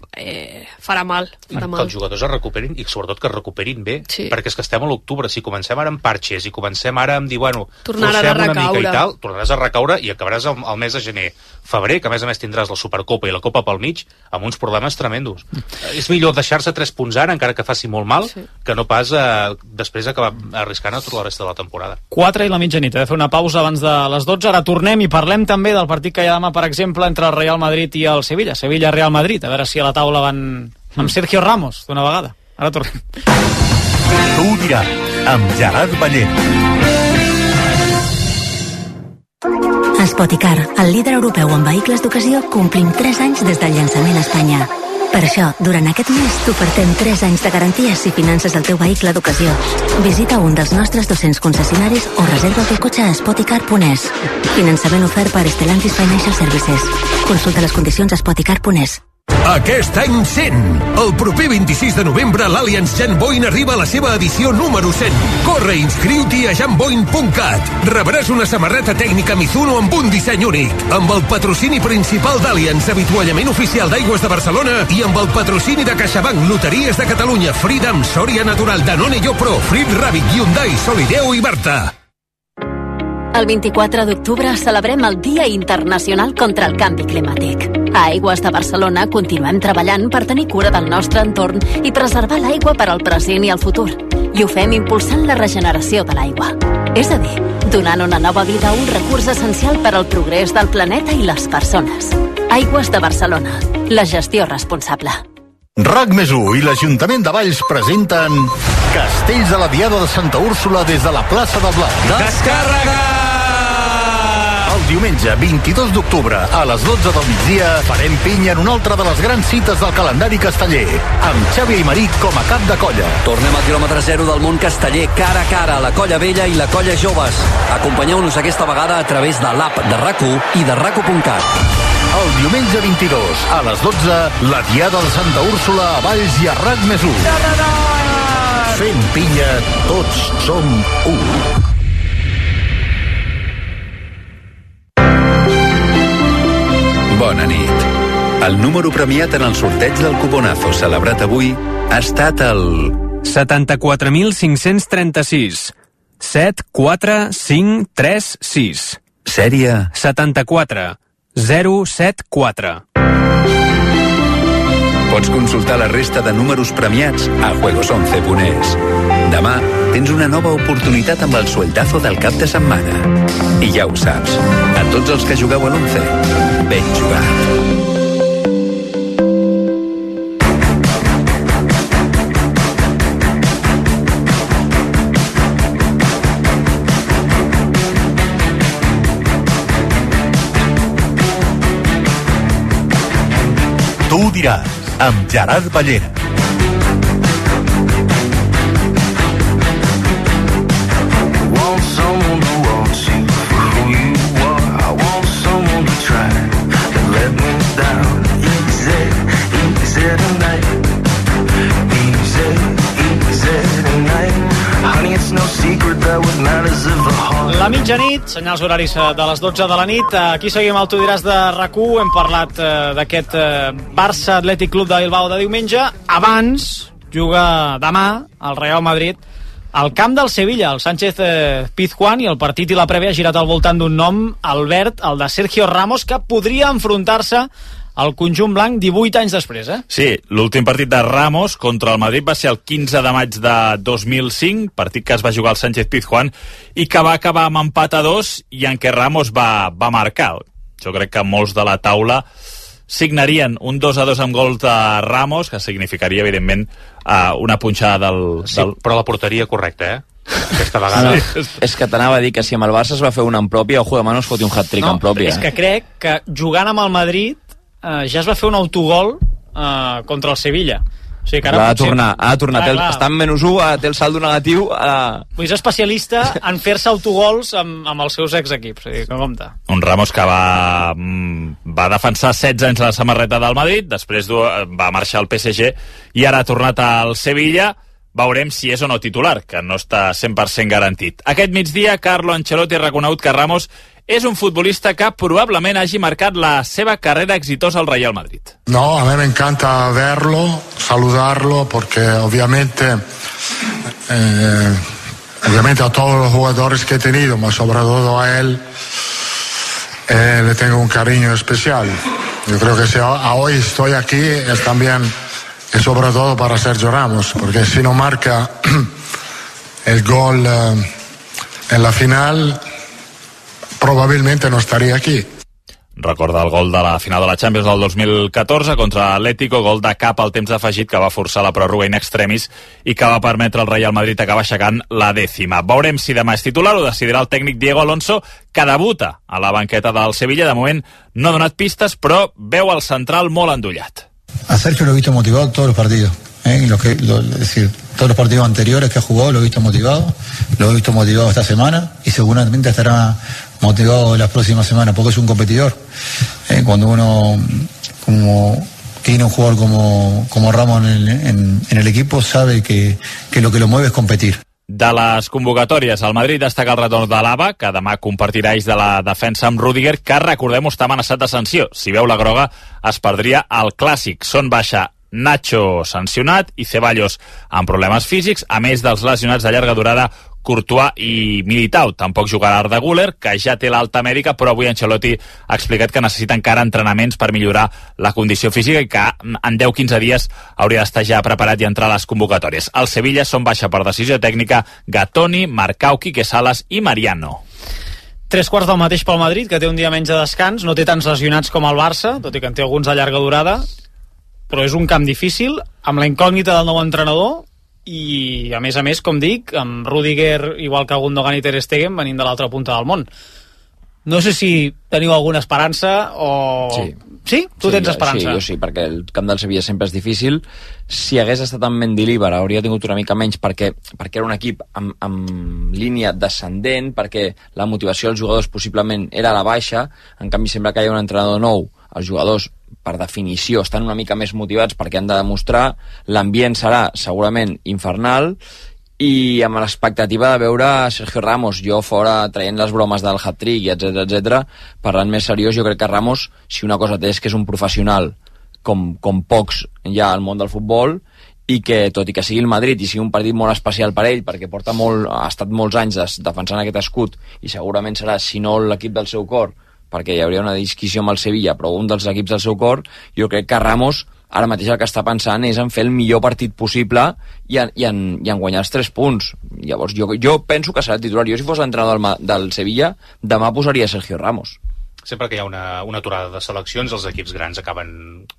farà mal. Que els jugadors es recuperin i sobretot que es recuperin bé, perquè és que estem a l'octubre, si comencem ara amb parxes i comencem ara amb dir, tornaràs a recaure i tal, tornaràs a recaure i acabaràs el mes de gener, febrer, que a més tindràs la Supercopa i la Copa pel mig, amb uns problemes tremendos. És millor deixar-se 3 punts ara, encara que faci molt mal, que no pas després acabar arriscant a tota la resta de la temporada. 4 i la mitjanit, he de fer una pausa abans de les 12, ara tornem i parlem també del partit que hi ha demà, per exemple, entre el Real Madrid i el Sevilla. Sevilla-Real Madrid, a veure si a la taula van amb Sergio Ramos d'una vegada. Ara tornem. Tu ho diràs, amb Gerard Ballera. Spoticar, el líder europeu en vehicles d'ocasió, complim 3 anys des del llançament a Espanya. Per això, durant aquest mes t'ofertem 3 anys de garanties si finances el teu vehicle d'ocasió. Visita un dels nostres 200 concessionaris o reserva el teu cotxe a spoticar.es. Finançament ofert per Stellantis Financial Services. Consulta les condicions a spoticar.es. Aquest any 100! El proper 26 de novembre l'Allianz Jan Boin arriba a la seva edició número 100. Corre i inscriu-t'hi a janboin.cat. Rebràs una samarreta tècnica Mizuno amb un disseny únic, amb el patrocini principal d'Allianz, avituallament oficial d'Aigües de Barcelona, i amb el patrocini de CaixaBank, Loteries de Catalunya, Freedom, Soria Natural, Danone Yopro, Frit Rabbit, Hyundai, Solideo i Berta. El 24 d'octubre celebrem el Dia Internacional contra el Canvi Climàtic. A Aigües de Barcelona continuem treballant per tenir cura del nostre entorn i preservar l'aigua per al present i el futur. I ho fem impulsant la regeneració de l'aigua. És a dir, donant una nova vida a un recurs essencial per al progrés del planeta i les persones. Aigües de Barcelona. La gestió responsable. RAC+1 i l'Ajuntament de Valls presenten Castells de la Diada de Santa Úrsula des de la plaça del Blat. Descàrrega! El diumenge 22 d'octubre a les 12 del migdia farem pinya en una altra de les grans cites del calendari casteller, amb Xavi Aymeric com a cap de colla. Tornem al quilòmetre 0 del món casteller, cara a cara, la colla vella i la colla joves. Acompanyeu-nos aquesta vegada a través de l'app de RAC1 i de RAC1.cat. El diumenge 22 a les 12, la Diada de Santa Úrsula a Valls i a RAC+1. Fent pinya, tots som u. Bona nit. El número premiat en el sorteig del cuponazo celebrat avui ha estat el 74.536 74536. Sèrie 74 074. Pots consultar la resta de números premiats a juegos11.es. Demà tens una nova oportunitat amb el sueldazo del cap de setmana. I ja ho saps, a tots els que jugueu a l'11, ben jugat. Tu ho diràs, amb Gerard Ballera. Want someone who wants you for who you are. I want someone to try to let me down. Easy tonight. Easy tonight. Honey, it's no secret that what matters is the heart. La mitjanit, senyals horaris de les 12 de la nit. Aquí seguim el Tu diràs de RAC1. Hem parlat d'aquest Barça Atlètic Club de Bilbao de diumenge. Abans juga demà el Real Madrid al camp del Sevilla, el Sánchez Pizjuán, i el partit i la prèvia ha girat al voltant d'un nom, Albert, el de Sergio Ramos, que podria enfrontar-se al conjunt blanc 18 anys després, Sí, l'últim partit de Ramos contra el Madrid va ser el 15 de maig de 2005, partit que es va jugar al Sánchez Pizjuán i que va acabar amb empat a 2 i en què Ramos va marcar. Jo crec que molts de la taula signarien un 2-2 amb gol de Ramos, que significaria, evidentment, una punxada del... Sí, però la porteria correcta, aquesta vegada. Sí. És que t'anava a dir que si amb el Barça es va fer una en pròpia, ojo, demà no es foti un hat-trick en pròpia. És que crec que jugant amb el Madrid ja es va fer un autogol contra el Sevilla. O sigui que ara ha de tornar. Està en -1, té el saldo negatiu. És especialista en fer-se autogols amb els seus exequips, o sigui, que compte. Un Ramos que va defensar 16 anys la samarreta del Madrid, després va marxar al PSG i ara ha tornat al Sevilla. Veurem si és o no titular, que no està 100% garantit. Aquest migdia, Carlo Ancelotti ha reconegut que Ramos és un futbolista que probablemente hagi marcat la seva carrera exitosa al Real Madrid. No, a mí me encanta verlo, saludarlo, porque obviamente a todos los jugadores que he tenido, pero sobre todo a él, le tengo un cariño especial. Yo creo que si hoy estoy aquí es también y sobre todo para Sergio Ramos, porque si no marca el gol en la final, probablemente no estaria aquí. Recorda el gol de la final de la Champions del 2014 contra l'Atlético, gol de cap al temps d'afegit que va forçar la pròrroga in extremis i que va permetre al Real Madrid acabar aixecant la 10ª. Veurem si demà és titular, ho decidirà el tècnic Diego Alonso, que debuta a la banqueta del Sevilla. De moment no ha donat pistes, però veu el central molt endollat. A Sergio lo he visto motivado todos los partidos. Es decir, todos los partidos anteriores que ha jugado lo he visto motivado esta semana y seguramente estará motivado las próximas semanas porque es un competidor. Cuando uno tiene un jugador como Ramos en el equipo, sabe que lo que lo mueve es competir. De les convocatòries, el Madrid destaca el retorn de l'Ava, que demà compartirà eix de la defensa amb Rüdiger, que, recordem-ho, està amenaçat de sanció. Si veu la groga, es perdria el Clàssic. Són baixa Nacho sancionat i Ceballos amb problemes físics, a més dels lesionats de llarga durada Courtois i Militao. Tampoc jugarà Arda Güler, que ja té l'alta mèdica, però avui Ancelotti ha explicat que necessita encara entrenaments per millorar la condició física i que en 10-15 dies hauria d'estar ja preparat i entrar a les convocatòries. Al Sevilla són baixa per decisió tècnica Gattoni, Marcauqui, Quesalas i Mariano. 3/4 del mateix pel Madrid, que té un dia menys de descans, no té tants lesionats com el Barça, tot i que en té alguns de llarga durada, però és un camp difícil, amb la incògnita del nou entrenador i, a més, com dic, amb Rüdiger, igual que Gundogan i Ter Stegen, venint de l'altra punta del món. No sé si teniu alguna esperança o... Sí? Tu tens esperança? Sí, jo sí, perquè el camp del Sevilla sempre és difícil. Si hagués estat en Mendilibar hauria tingut una mica menys perquè era un equip amb línia descendent, perquè la motivació dels jugadors possiblement era a la baixa. En canvi, sempre que hi ha un entrenador nou, els jugadors, per definició, estan una mica més motivats perquè han de demostrar. L'ambient serà segurament infernal i amb l'expectativa de veure Sergio Ramos, jo fora traient les bromes del hat-trick, etc. Parlant més seriós, jo crec que Ramos, si una cosa té, és que és un professional com pocs ja al món del futbol, i que, tot i que sigui el Madrid i sigui un partit molt especial per ell, perquè ha estat molts anys defensant aquest escut, i segurament serà, si no l'equip del seu cor, perquè hi hauria una disquisició amb el Sevilla, però un dels equips del seu cor, jo crec que Ramos ara mateix el que està pensant és en fer el millor partit possible i en guanyar els 3 punts. Llavors jo penso que serà titular. Jo, si fos l'entrenador del Sevilla, demà posaria Sergio Ramos. Sempre que hi ha una aturada de seleccions, els equips grans acaben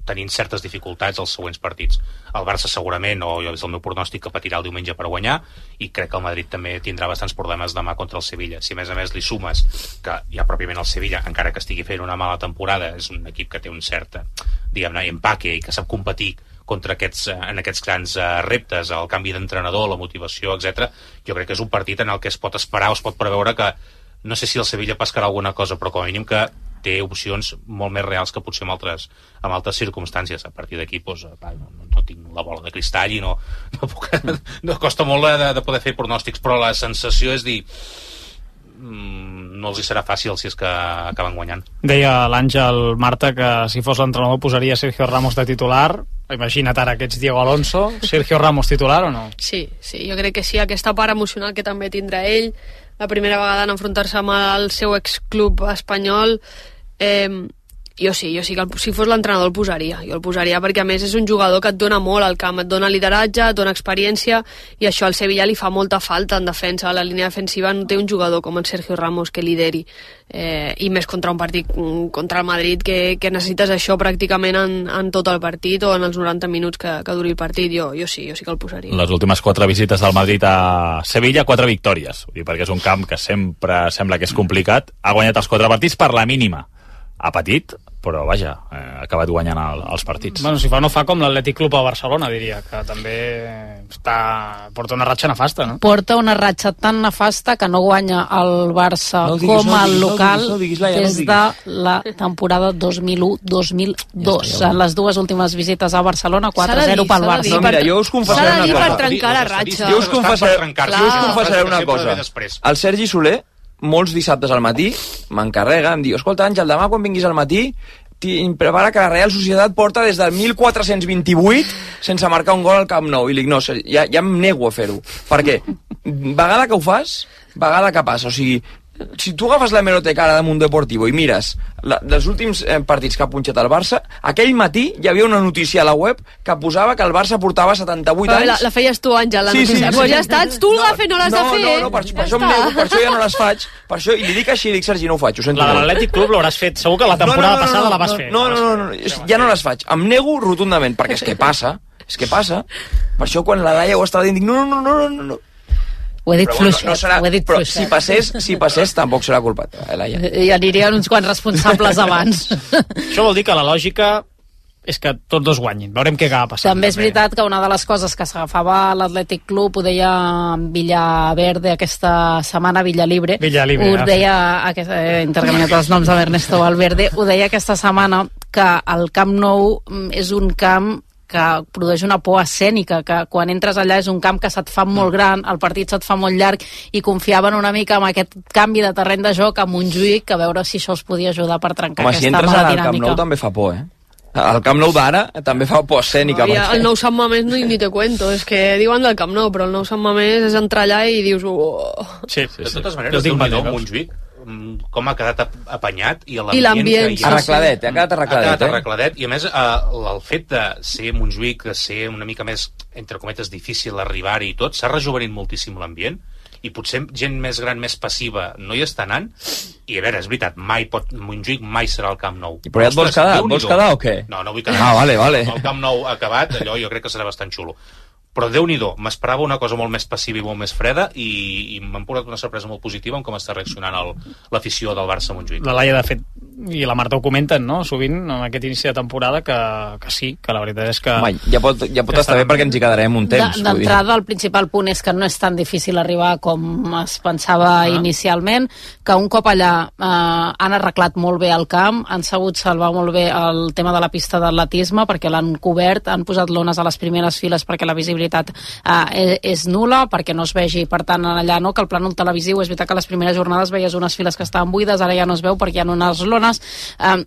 tenint certes dificultats als següents partits. El Barça segurament, o jo és el meu pronòstic, que patirà el diumenge per guanyar, i crec que el Madrid també tindrà bastants problemes demà contra el Sevilla. Si a més li sumes que ja pròpiament el Sevilla, encara que estigui fent una mala temporada, és un equip que té un cert diguem-ne, empaque i que sap competir contra en aquests grans reptes, el canvi d'entrenador, la motivació, etc. Jo crec que és un partit en el que es pot esperar o es pot preveure que, no sé si el Sevilla pescarà alguna cosa, però com a mínim que té opcions molt més reals que potser en altres circumstàncies. A partir d'aquí doncs, no tinc la bola de cristall i no costa molt de poder fer pronòstics, però la sensació és dir no els hi serà fàcil si és que acaben guanyant. Deia l'Àngel Marta que si fos l'entrenador posaria Sergio Ramos de titular. Imagina't ara que ets Diego Alonso. Sergio Ramos titular o no? Sí, jo crec que sí. Aquesta part emocional que també tindrà ell, la primera vegada en enfrontar-se amb el seu exclub espanyol, jo sí que si fos l'entrenador el posaria. Jo el posaria perquè a més és un jugador que et dona molt al camp, et dona lideratge, et dona experiència, i això al Sevilla li fa molta falta en defensa. A la línia defensiva no té un jugador com en Sergio Ramos que lideri, i més contra un partit contra el Madrid que necessites això pràcticament en tot el partit o en els 90 minuts que duri el partit. Jo sí que el posaria. Les últimes 4 visites del Madrid a Sevilla, 4 victòries, perquè és un camp que sempre sembla que és complicat. Ha guanyat els 4 partits per la mínima. Ha patit, però vaja, ha acabat guanyant els partits. Bueno, si fa no fa com l'Atlètic Club a Barcelona, diria, que també porta una ratxa nefasta, no? Porta una ratxa tan nefasta que no guanya el Barça com el local des de la temporada 2001-2002. En les dues últimes visites a Barcelona, 4-0 pel Barça. No, mira, jo us confessaré una cosa. per trencar la ratxa. Jo us confessaré una cosa. El Sergi Soler, molts dissabtes al matí, m'encarrega, em diu, escolta, Àngel, demà quan vinguis al matí prepara que la Real Societat porta des del 1428 sense marcar un gol al Camp Nou. I dic, no, ja em nego a fer-ho. Per què? Vegada que ho fas, vegada que passa. O sigui, si tu agafes la hemeroteca ara de Mundo Deportivo i mires dels últims partits que ha punxat el Barça, aquell matí hi havia una notícia a la web que posava que el Barça portava 78 anys. La feies tu, Àngel, la notícia. Pues ja està, tu l'agafa i no l'has de fer. No, per això ja no les faig. Per això, i li dic així, dic, Sergi, no ho faig. La de l'Atlètic Club l'hauràs fet, segur que la temporada passada la vas fer. No, ja no les faig. Em nego rotundament, perquè és que passa. Per això quan la Laia ho estava dient, dic, no. Ho he dit fluixet, però si passés tampoc serà culpa teva, Laia. Hi anirien uns quants responsables abans. Això vol dir que la lògica és que tots dos guanyin. Veurem què acaba passant. També és veritat que una de les coses que s'agafava l'Atlètic Club, ho deia Villaverde aquesta setmana, Villalibre, ho deia, intercanviat els noms amb Ernesto Valverde, ho deia aquesta setmana que el Camp Nou és un camp que produeix una por escènica, que quan entres allà és un camp que se't fa molt gran, el partit se't fa molt llarg, i confiaven una mica en aquest canvi de terreny de joc a Montjuïc, a veure si això els podia ajudar per trencar aquesta mala dinàmica. Si entres al Camp Nou també fa por, El Camp Nou d'ara també fa por escènica. El nou Sant Mamés ni te cuento, és que diuen del Camp Nou, però el nou Sant Mamés és entrar allà i dius... Sí. De totes maneres, déu-n'hi-do, Montjuïc, com ha quedat apanyat i l'ambient arregladet, ha quedat arregladet, i a més el fet de ser Montjuïc, de ser una mica més, entre cometes, difícil arribar-hi i tot, s'ha rejuvenit moltíssim l'ambient, i potser gent més gran, més passiva no hi està anant, i a veure, és veritat, Montjuïc mai serà el Camp Nou. Però ja et vols quedar? Vols quedar o què? No vull quedar. Vale. El Camp Nou acabat, allò jo crec que serà bastant xulo. Però Déu-n'hi-do, m'esperava una cosa molt més passiva i molt més freda, i m'han portat una sorpresa molt positiva en com està reaccionant l'afició del Barça a Montjuïc. La Laia, de fet, i la Marta ho comenten, no?, sovint, en aquest inici de temporada, que sí, que la veritat és que... Home, ja pot estar bé perquè ens hi quedarem un temps. D'entrada, el principal punt és que no és tan difícil arribar com es pensava inicialment, que un cop allà han arreglat molt bé el camp, han sabut salvar molt bé el tema de la pista d'atletisme, perquè l'han cobert, han posat lones a les primeres files perquè la visibilitat és nula, perquè no es vegi, per tant allà no, que el plànol televisiu és veritat que les primeres jornades veies unes files que estaven buides, ara ja no es veu perquè hi ha unes lones,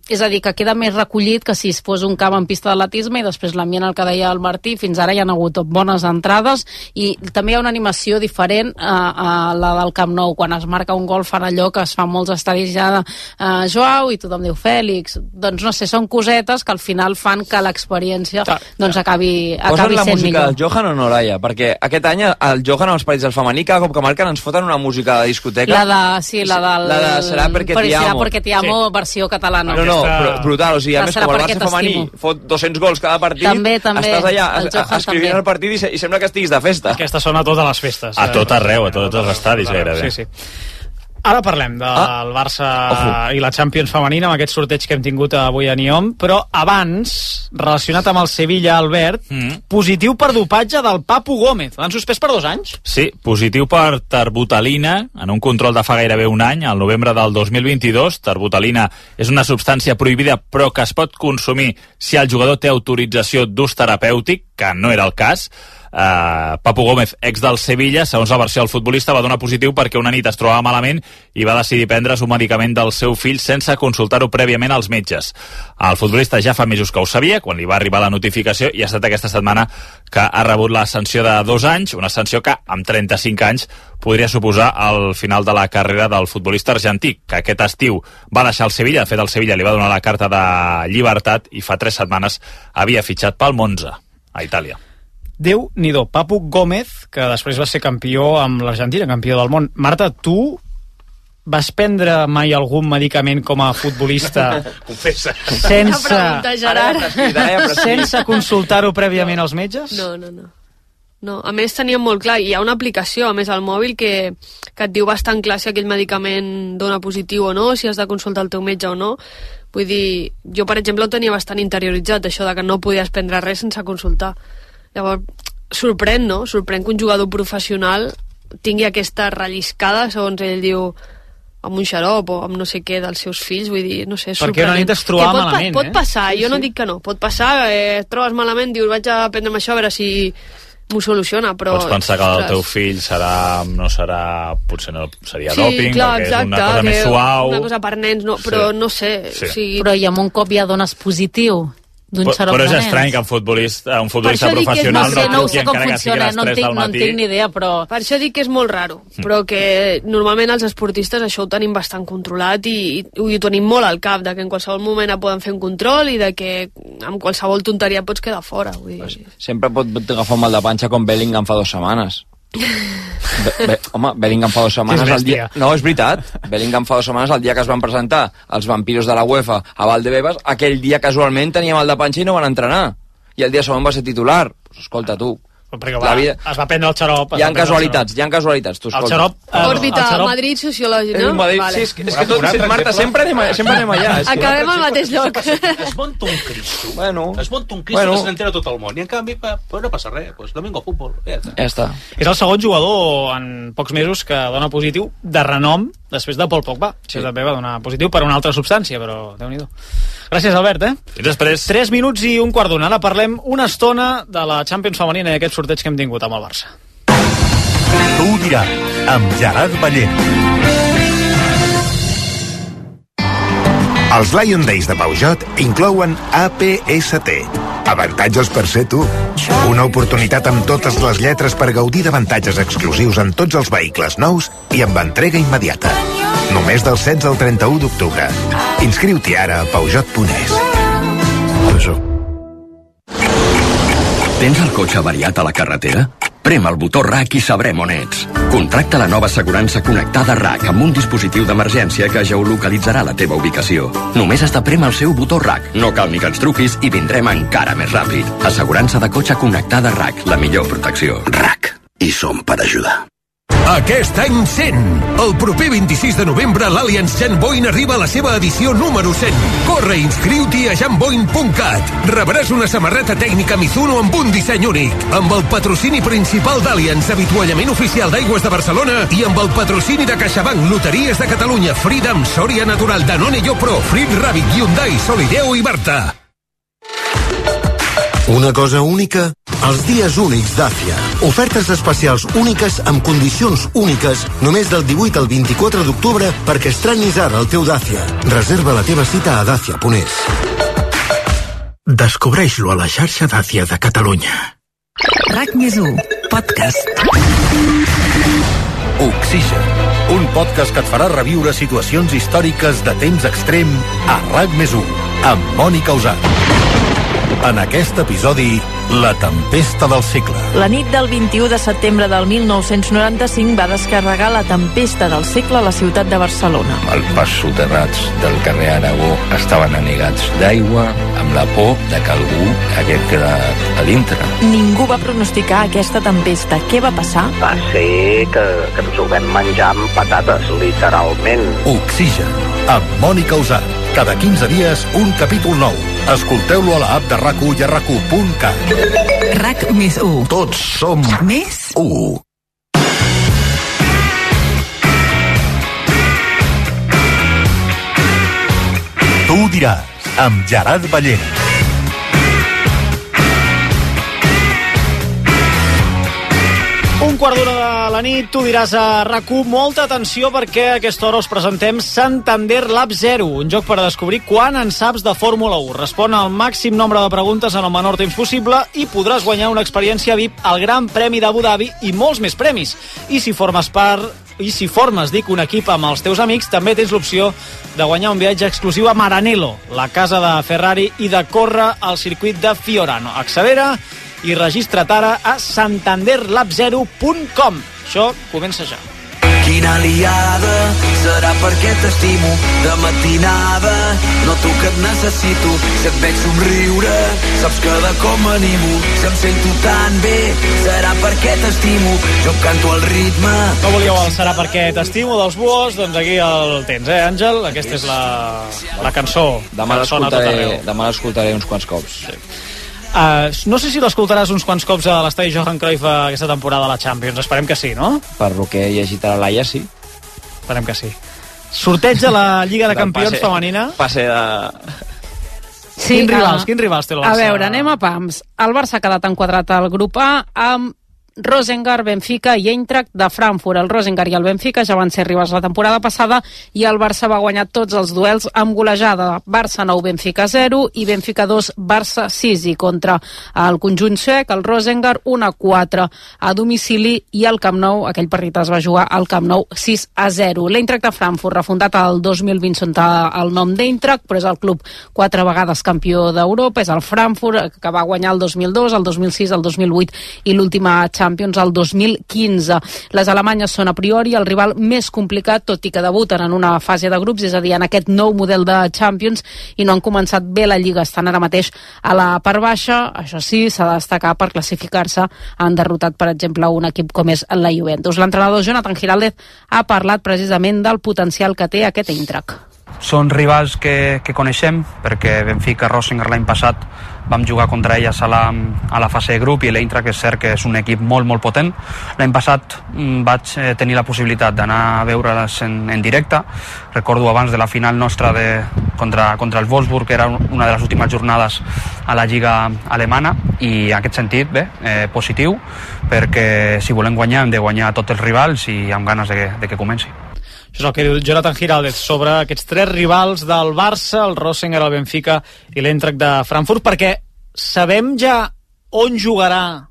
és a dir, que queda més recollit que si es fos un camp en pista d'atletisme, i després l'ambient, el que deia el Martí, fins ara hi ha hagut bones entrades, i també hi ha una animació diferent a la del Camp Nou. Quan es marca un gol fan allò que es fa molts estadis ja de Joao, i tothom diu Fèlix, doncs no sé, són cosetes que al final fan que l'experiència doncs acabi sent millor. Del Johan o no, Laia? Perquè aquest any el Johan als partits del femení, cada cop que marquen ens foten una música de discoteca. La de Serà perquè t'hi amo, versió catalana. No, brutal, o sigui, a més com el Barça femení fot 200 gols cada partit, també, estàs allà escrivint el partit i sembla que estiguis de festa. Aquesta sona a totes les festes. A tot arreu, a tots els estadis gairebé. Sí. Ara parlem del Barça i la Champions femenina, amb aquest sorteig que hem tingut avui a Nyom, però abans, relacionat amb el Sevilla, Albert, positiu per dopatge del Papu Gómez. L'han suspès per 2 anys? Sí, positiu per terbutalina, en un control de fa gairebé un any, al novembre del 2022. Terbutalina és una substància prohibida, però que es pot consumir si el jugador té autorització d'ús terapèutic, que no era el cas. Papu Gómez, ex del Sevilla, segons la versió del futbolista, va donar positiu perquè una nit es trobava malament i va decidir prendre's un medicament del seu fill sense consultar-ho prèviament als metges. El futbolista ja fa mesos que ho sabia, quan li va arribar la notificació, i ha estat aquesta setmana que ha rebut la sanció de 2 anys, una sanció que amb 35 anys podria suposar el final de la carrera del futbolista argentí, que aquest estiu va deixar el Sevilla. De fet, el Sevilla li va donar la carta de llibertat i fa 3 setmanes havia fitxat pel Monza, a Itàlia. Déu-n'hi-do, Papu Gómez, que després va ser campió amb l'Argentina, campió del món. Marta, tu vas prendre mai algun medicament com a futbolista Confessa. sense consultar-ho prèviament als metges? No, a més teníem molt clar, hi ha una aplicació a més al mòbil que et diu bastant clar si aquell medicament dona positiu o no, si has de consultar el teu metge o no. Vull dir, jo per exemple ho tenia bastant interioritzat, això de que no podies prendre res sense consultar. Llavors, sorprèn que un jugador professional tingui aquesta relliscada, segons ell diu, amb un xarop o amb no sé què dels seus fills, vull dir, no sé, sorprenent. Perquè una nit es trobava malament, pot passar, jo no dic que no, pot passar, et trobes malament, dius, vaig a prendre'm això a veure si m'ho soluciona, però... Pots pensar que el teu fill potser no seria dòping, clar, perquè exacte, és una cosa més suau... Una cosa per nens, no, però no sé... O sigui... Però i amb un cop ja dones positiu d'un xarop però és de nens. estrany que un futbolista professional no sé com funciona, no en tinc ni idea, però... Per això dic que és molt raro, però que normalment els esportistes això ho tenim bastant controlat i ho tenim molt al cap, de que en qualsevol moment et poden fer un control i de que amb qualsevol tonteria pots quedar fora. Vull dir. Sempre pot agafar un mal de panxa com Bellingham fa 2 setmanes. Home, Bellingham fa 2 setmanes el dia... No, és veritat. Bellingham fa 2 setmanes el dia que es van presentar els vampiros de la UEFA a Valdebebas, aquell dia casualment tenia mal de panxa i no van entrenar. I el dia següent va ser titular. Pues escolta, tu... Perquè es va prendre el xarop. Hi ha casualitats, tu escolta. El xarop... Òrbita, Madrid, sociològic, no? Madrid, vale. sí, és que tot, Marta, sempre anem allà. Acabem al mateix lloc. Es munta un Cristo. Es munta un Cristo que se n'entera tot el món. I en canvi, no passa res. Pues domingo futbol. Ja està. És el segon jugador en pocs mesos que dona positiu de renom després de Paul Pogba. Sí. Que també va donar positiu per una altra substància, però Déu-n'hi-do. Gràcies, Albert, Fins després. 3 minuts i un quart d'una. Ara parlem una estona de la Champions femenina i aquest sorteig que hem tingut amb el Barça. Tu ho diràs, amb Gerard Ballent. Els Lion Days de Peugeot inclouen APST. Avantatges per ser tu. Una oportunitat amb totes les lletres per gaudir d'avantatges exclusius en tots els vehicles nous i amb entrega immediata. Només del 16 al 31 d'octubre. Inscriu-t'hi ara a Peugeot.es. Tens el cotxe avariat a la carretera? Prem el botó RAC i sabrem on ets. Contracta la nova assegurança connectada RAC amb un dispositiu d'emergència que geolocalitzarà la teva ubicació. Només has de prémer el seu botó RAC. No cal ni que ens truquis i vindrem encara més ràpid. Assegurança de cotxe connectada RAC, la millor protecció. RAC. I som per ajudar. Aquest any 100! El proper 26 de novembre l'Allianz Jan Boyn arriba a la seva edició número 100. Corre i inscriu-t'hi a janboyn.cat. Rebràs una samarreta tècnica Mizuno amb un disseny únic, amb el patrocini principal d'Allianz, avituallament oficial d'Aigües de Barcelona, i amb el patrocini de CaixaBank, Loteries de Catalunya, Freedom, Soria Natural, Danone Yopro, Frit Rabbit, Hyundai, Solideo i Barta. Una cosa única? Els dies únics d'Àcia. Ofertes especials úniques amb condicions úniques només del 18 al 24 d'octubre perquè estrenis ara el teu Dacia. Reserva la teva cita a Dacia.es. Descobreix-lo a la xarxa Dacia de Catalunya. RAC+1, podcast. Oxigen, un podcast que et farà reviure situacions històriques de temps extrem a RAC+1, amb Mònica Usat. En aquest episodi, la tempesta del segle. La nit del 21 de setembre del 1995 va descarregar la tempesta del segle a la ciutat de Barcelona. Els pas soterrats del carrer Aragó estaven anegats d'aigua, amb la por de que algú hagués quedat a dintre. Ningú va pronosticar aquesta tempesta. Què va passar? Va ser que ens ho vam menjar amb patates, literalment. Oxigen, amb Mònica Usat. Cada 15 dies, un capítol nou. Escolteu-lo a l'app de RAC1 i a RAC1.cat. RAC+1. Tots som més 1. Tu ho diràs, amb Gerard Ballén. Un quart d'hora de la nit, tu diràs a RAC1, molta atenció perquè a aquesta hora us presentem Santander Lab 0, un joc per descobrir quan en saps de Fórmula 1. Respon al màxim nombre de preguntes en el menor temps possible i podràs guanyar una experiència VIP al Gran Premi d'Abu Dhabi i molts més premis. I si formes un equip amb els teus amics, també tens l'opció de guanyar un viatge exclusiu a Maranello, la casa de Ferrari, i de córrer al circuit de Fiorano. Accelera i registra't ara a santanderlab0.com. Això comença ja. Quina aliada serà perquè t'estimo de matinada, noto que et necessito, si et veig somriure saps que de com m'animo, si em sento tan bé serà perquè t'estimo, jo canto al ritme. No volíeu el serà perquè t'estimo dels Buos? Doncs aquí el tens, Àngel? Aquesta és la cançó. Demà l'escoltaré uns quants cops. Sí. No sé si l'escoltaràs uns quants cops a l'estadi Johan Cruyff aquesta temporada a la Champions. Esperem que sí, no? Per lo que he llegit a la Laia, sí. Esperem que sí. Sorteig de la Lliga de Campions femenina. Passe de... Sí, Quins rivals té el Barça? A veure, anem a pams. El Barça ha quedat enquadrat al grup A amb Rosengar, Benfica i Eintracht de Frankfurt. El Rosengar i el Benfica ja van ser rivals la temporada passada i el Barça va guanyar tots els duels amb golejada. Barça 9, Benfica 0 i Benfica 2, Barça 6. I contra el conjunt suec, el Rosengar 1-4 a domicili i al Camp Nou, aquell partit es va jugar al Camp Nou 6-0. L'Eintracht de Frankfurt, refundat el 2020 sota el nom d'Eintracht, però és el club 4 vegades campió d'Europa, és el Frankfurt que va guanyar el 2002, el 2006, el 2008 i l'última Champions el 2015. Les alemanyes són a priori el rival més complicat, tot i que debuten en una fase de grups, és a dir, en aquest nou model de Champions, i no han començat bé la Lliga, estan ara mateix a la part baixa. Això sí, s'ha de destacar per classificar-se. Han derrotat, per exemple, un equip com és la Juventus. L'entrenador Jonathan Giraldez ha parlat precisament del potencial que té aquest Eintracht. Són rivals que coneixem, perquè Benfica, Rosengar l'any passat vam jugar contra elles a la fase de grup, i l'Eintracht és cert que és un equip molt potent. L'any passat vaig tenir la possibilitat d'anar a veure-les en directe. Recordo abans de la final nostra contra el Wolfsburg, que era una de les últimes jornades a la Lliga alemana, i en aquest sentit, positiu, perquè si volem guanyar hem de guanyar tots els rivals i amb ganes de que comenci. Això és el que diu Jonathan Giraldez sobre aquests tres rivals del Barça, el Rosengar, el Benfica i l'Eintracht de Frankfurt, perquè sabem ja on jugarà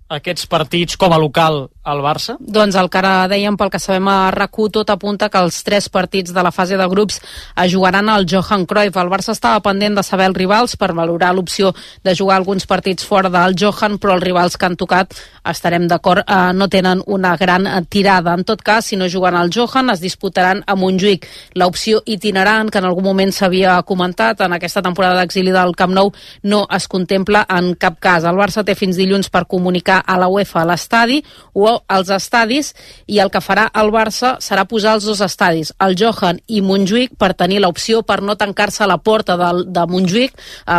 aquests partits com a local al Barça? Doncs el que ara dèiem, pel que sabem a RAC1, tot apunta que els 3 partits de la fase de grups es jugaran al Johan Cruyff. El Barça estava pendent de saber els rivals per valorar l'opció de jugar alguns partits fora del Johan, però els rivals que han tocat, estarem d'acord, no tenen una gran tirada. En tot cas, si no juguen al Johan, es disputaran a Montjuïc. L'opció itinerant, que en algun moment s'havia comentat en aquesta temporada d'exili del Camp Nou, no es contempla en cap cas. El Barça té fins dilluns per comunicar a la UEFA a l'estadi o als estadis, i el que farà el Barça serà posar els 2 estadis, el Johan i Montjuïc, per tenir l'opció per no tancar-se a la porta de Montjuïc,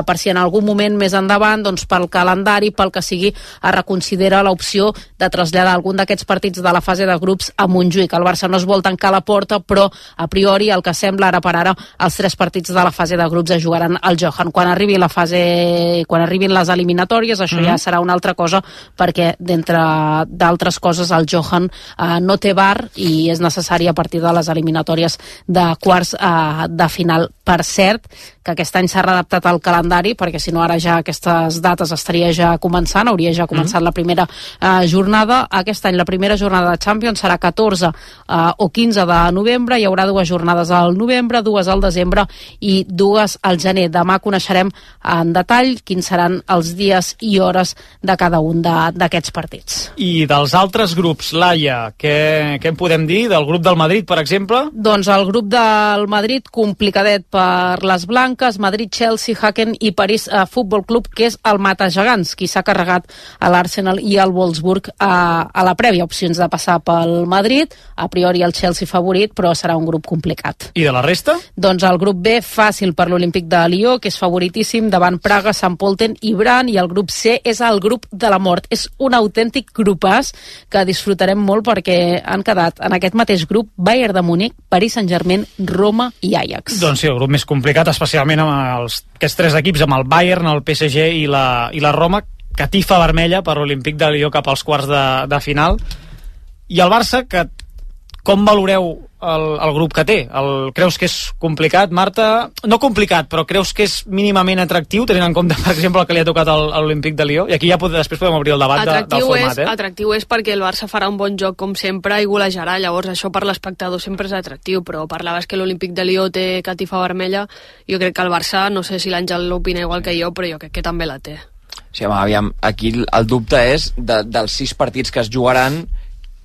per si en algun moment més endavant, doncs pel calendari, pel que sigui, es reconsidera l'opció de traslladar algun d'aquests partits de la fase de grups a Montjuïc. El Barça no es vol tancar la porta, però a priori el que sembla ara per ara, els 3 partits de la fase de grups es jugaran al Johan. Quan arribin les eliminatòries, això ja serà una altra cosa, perquè d'entre d'altres coses el Johan no té bar i és necessari a partir de les eliminatòries de quarts de final. Per cert, que aquest any s'ha readaptat al calendari, perquè si no ara ja aquestes dates estaria ja començant, hauria ja començat la primera jornada. Aquest any la primera jornada de Champions serà 14 o 15 de novembre, hi haurà 2 jornades al novembre, 2 al desembre i 2 al gener. Demà coneixerem en detall quins seran els dies i hores de cada un d'aquests partits. I dels altres altres grups, Laia, què en podem dir del grup del Madrid, per exemple? Doncs el grup del Madrid, complicadet per les blanques, Madrid, Chelsea, Hacken i París Futbol Club, que és el matagegants, qui s'ha carregat a l'Arsenal i al Wolfsburg a la prèvia. Opcions de passar pel Madrid, a priori el Chelsea favorit, però serà un grup complicat. I de la resta? Doncs el grup B, fàcil per l'Olímpic de Lió, que és favoritíssim davant Praga, Sant Polten i Bran, i el grup C és el grup de la mort. És un autèntic grupàs que disfrutarem molt perquè han quedat en aquest mateix grup Bayern de Múnich, Paris Saint-Germain, Roma i Ajax. Doncs sí, el grup més complicat, especialment amb aquests tres equips, amb el Bayern, el PSG i la Roma, catifa vermella per l'Olímpic de Lió cap als quarts de final. I el Barça, que com valoreu el grup que té? Creus que és complicat, Marta? No complicat, però creus que és mínimament atractiu, tenint en compte, per exemple, el que li ha tocat a l'Olímpic de Lió? I aquí ja després podem obrir el debat del format. Atractiu és perquè el Barça farà un bon joc, com sempre, i golejarà. Llavors, això per l'espectador sempre és atractiu, però parlaves que l'Olímpic de Lió té catifa vermella. Jo crec que el Barça, no sé si l'Àngel l'opina igual que jo, però jo crec que també la té. Sí, home, aviam, aquí el dubte és dels 6 partits que es jugaran,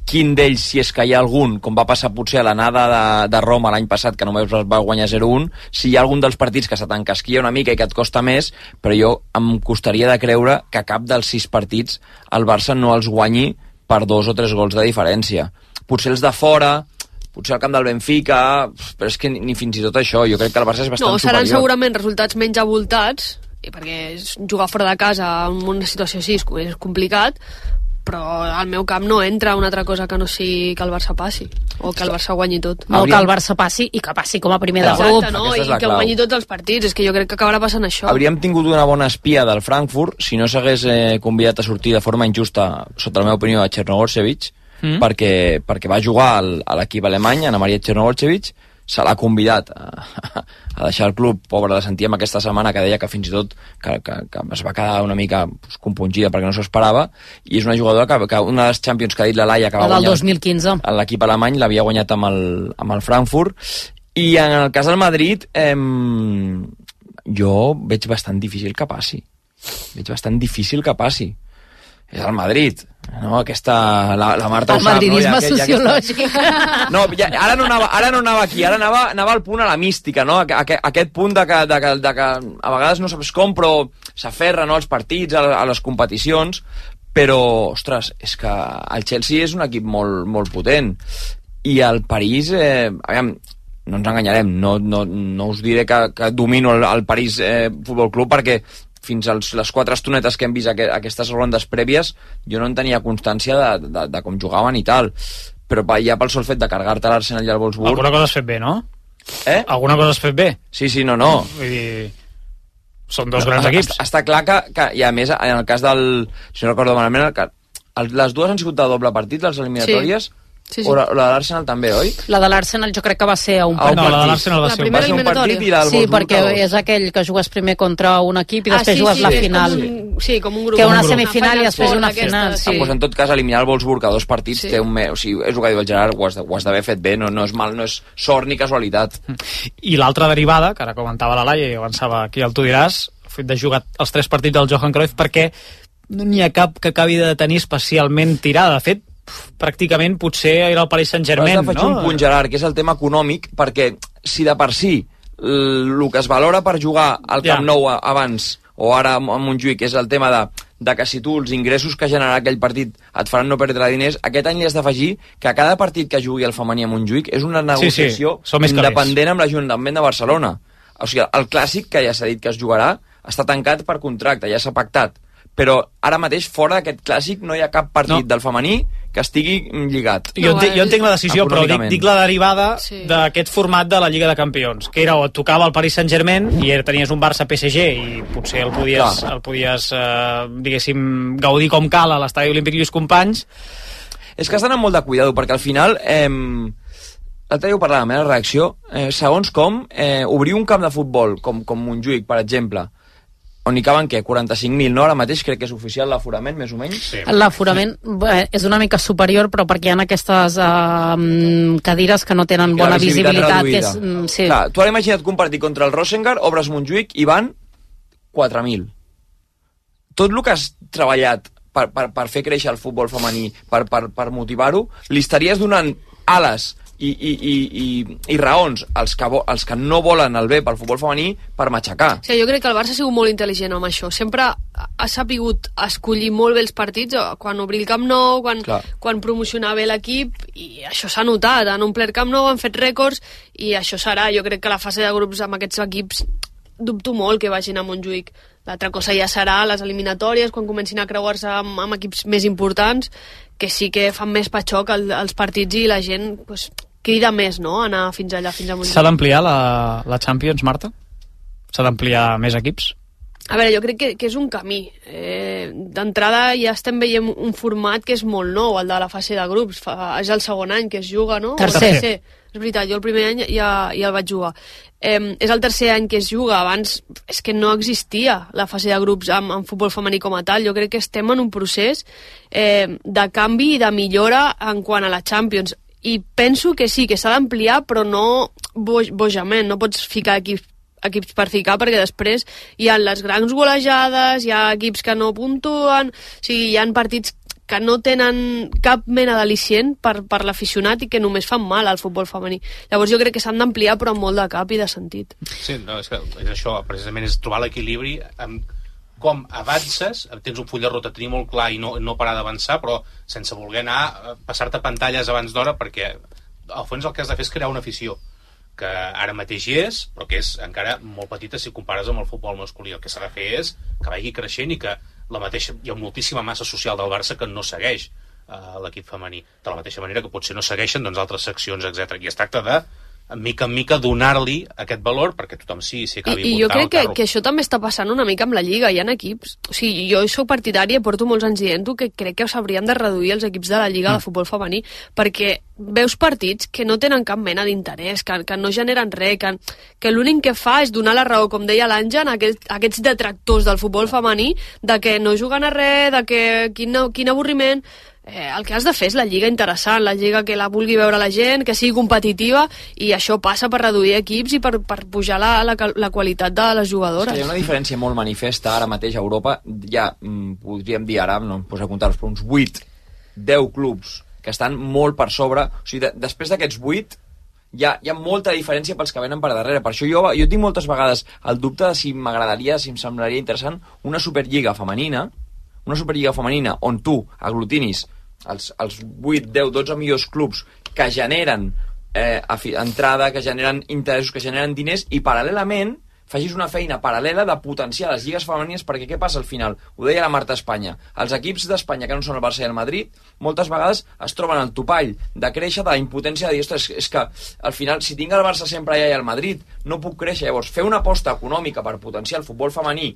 quin d'ells, si és que hi ha algun, com va passar potser a l'anada de Roma l'any passat, que només va guanyar 0-1, si hi ha algun dels partits que se t'encasquilla una mica i que et costa més, però jo em costaria de creure que cap dels 6 partits el Barça no els guanyi per 2 o 3 gols de diferència. Potser els de fora, potser al camp del Benfica, però és que ni fins i tot això, jo crec que el Barça és bastant superior. Seran segurament resultats menys abultats, perquè jugar fora de casa en una situació així és complicat, però al meu camp no entra una altra cosa que no sigui que el Barça passi o que el Barça guanyi tot. No, que el Barça passi i que passi com a primer de grup. Exacte, no? I que guanyi tots els partits. És que jo crec que acabarà passant això. Hauríem tingut una bona espia del Frankfurt si no s'hagués convidat a sortir de forma injusta, sota la meva opinió, a Chernogorchevich, perquè va jugar a l'equip alemany, Ana Maria Chernogorchevich, se l'ha convidat a deixar el club, pobre de sentir amb aquesta setmana, que deia que fins i tot que es va quedar una mica compungida perquè no s'ho esperava, i és una jugadora que una de les Champions que ha dit la Laia, que va guanyar 2015 en l'equip alemany, l'havia guanyat amb el Frankfurt. I en el cas del Madrid jo veig bastant difícil que passi. És el Madrid, no? La Marta ho sap, madridisme sociològic. No, ara no anava aquí, ara anava al punt a la mística, no? Aquest punt de que a vegades no saps com, però s'aferra, no, als partits, a les competicions, però, ostres, és que el Chelsea és un equip molt, molt potent, i el París, aviam, no ens enganyarem, no us diré que domino el París Futbol Club, perquè fins a les 4 estonetes que hem vist aquestes rondes prèvies, jo no en tenia constància de com jugaven i tal. Però ja pel sol fet de carregar-te l'Arsenal i el Wolfsburg... Alguna cosa has fet bé, no? Alguna cosa has fet bé? Sí, no. Vull dir, són dos grans equips. Està clar que, i a més, en el cas del... Si no recordo malament, les dues han sigut de doble partit, les eliminatòries... Sí. O la de l'Arsenal també, oi? La de l'Arsenal jo crec que va ser a un partit. No, la de l'Arsenal va ser un partit i la del Sí, Wolfsburg perquè és aquell que jugues primer contra un equip i després jugues la final. Com un grup. Que una semifinal i després una final. Sí. Pues en tot cas, eliminar el Wolfsburg a 2 partits té o sigui, és el que diu el Gerard, ho has d'haver fet bé, no és mal, no és sort ni casualitat. I l'altra derivada, que ara comentava la Laia i avançava aquí el Tu diràs, el fet de jugar els 3 partits del Johan Cruyff, perquè no n'hi ha cap que acabi de tenir especialment tirada. De fet, pràcticament potser era el Paris Saint-Germain, faig un punt, Gerard, que és el tema econòmic, perquè si de per si el que es valora per jugar al Camp Nou abans o ara a Montjuïc és el tema de que si tu els ingressos que generarà aquell partit et faran no perdre diners, aquest any li has d'afegir que a cada partit que jugui el femení a Montjuïc és una negociació independent amb l'Ajuntament de Barcelona. O sigui, el clàssic, que ja s'ha dit que es jugarà, està tancat per contracte, ja s'ha pactat, però ara mateix fora d'aquest clàssic no hi ha cap partit del femení que estigui lligat. Jo entenc la decisió, però dic la derivada d'aquest format de la Lliga de Campions, que era o tocava el Paris Saint-Germain i tenies un Barça-PSG i potser el podies diguéssim, gaudir com cal a l'estadi olímpic Lluís Companys. És que has d'anar molt de cuidado, perquè al final l'altre dia ho parlàvem, la reacció, segons com obrir un camp de futbol com Montjuïc, per exemple, on hi caben, què? 45.000, no? Ara mateix crec que és oficial l'aforament, més o menys. Sí. L'aforament és una mica superior, però perquè hi ha aquestes cadires que no tenen bona visibilitat. Que és, sí. Clar, tu ara imagina't que un partit contra el Rosengard, obres Montjuïc i van 4.000. Tot el que has treballat per fer créixer el futbol femení, per motivar-ho, li estaries donant ales i raons als que no volen el bé pel futbol femení per matxacar. Sí, jo crec que el Barça ha sigut molt intel·ligent amb això. Sempre ha sapigut escollir molt bé els partits, quan obrir el Camp Nou, quan promocionar bé l'equip, i això s'ha notat. Han omplert Camp Nou, han fet rècords, i això serà. Jo crec que la fase de grups amb aquests equips dubto molt que vagin a Montjuïc. L'altra cosa ja serà les eliminatòries, quan comencin a creuar-se amb equips més importants, que sí que fan més patxoc els partits i la gent pues, crida més, no?, anar fins allà, fins a Montjuïc. S'ha d'ampliar la Champions, Marta? S'ha d'ampliar més equips? A veure, jo crec que és un camí. D'entrada ja estem veient un format que és molt nou, el de la fase de grups. És el segon any que es juga, no? Tercer. És veritat, jo el primer any ja el vaig jugar. És el tercer any que es juga. Abans és que no existia la fase de grups amb futbol femení com a tal. Jo crec que estem en un procés de canvi i de millora en quant a la Champions. I penso que sí, que s'ha d'ampliar, però no bojament. No pots ficar equips per ficar, perquè després hi ha les grans golejades, hi ha equips que no puntuen, o sigui, hi ha partits que no tenen cap mena d'al·licient per l'aficionat i que només fan mal al futbol femení. Llavors jo crec que s'han d'ampliar, però amb molt de cap i de sentit. Sí, no, és això, precisament és trobar l'equilibri amb com avances, tens un full de ruta, tenir molt clar i no parar d'avançar, però sense voler anar passar-te pantalles abans d'hora, perquè al fons el que has de fer és crear una afició que ara mateix hi és, però que és encara molt petita si compares amb el futbol masculí. El que s'ha de fer és que vagi creixent i que hi ha moltíssima massa social del Barça que no segueix l'equip femení. De la mateixa manera que potser no segueixen altres seccions, etc. I es tracta de, mica en mica, donar-li aquest valor perquè tothom s'hi acabi I jo crec que això també està passant una mica amb la Lliga. Hi ha equips... O sigui, jo soc partidària i porto molts anys dient-ho que crec que s'haurien de reduir els equips de la Lliga de futbol femení, perquè veus partits que no tenen cap mena d'interès, que no generen res, que l'únic que fa és donar la raó, com deia l'Àngel, a aquests detractors del futbol femení, de que no juguen a res, de que quin avorriment... el que has de fer és la lliga interessant, la lliga que la vulgui veure la gent, que sigui competitiva, i això passa per reduir equips i per pujar la qualitat de les jugadores. Hi ha una diferència molt manifesta ara mateix a Europa. Ja podríem dir ara, no em poso a comptar-los, però uns 8-10 clubs que estan molt per sobre. O sigui, després d'aquests 8 hi ha molta diferència pels que venen per darrere. Per això jo tinc moltes vegades el dubte de si m'agradaria, si em semblaria interessant una Superliga femenina on tu aglutinis els 8, 10, 12 millors clubs que generen entrada, que generen interessos, que generen diners, i paral·lelament facis una feina paral·lela de potenciar les lligues femenines, perquè què passa al final? Ho deia la Marta Espanya. Els equips d'Espanya que no són el Barça i el Madrid moltes vegades es troben al topall de créixer, de la impotència de dir, ostres, és que al final si tinc el Barça sempre allà i el Madrid no puc créixer. Llavors fer una aposta econòmica per potenciar el futbol femení,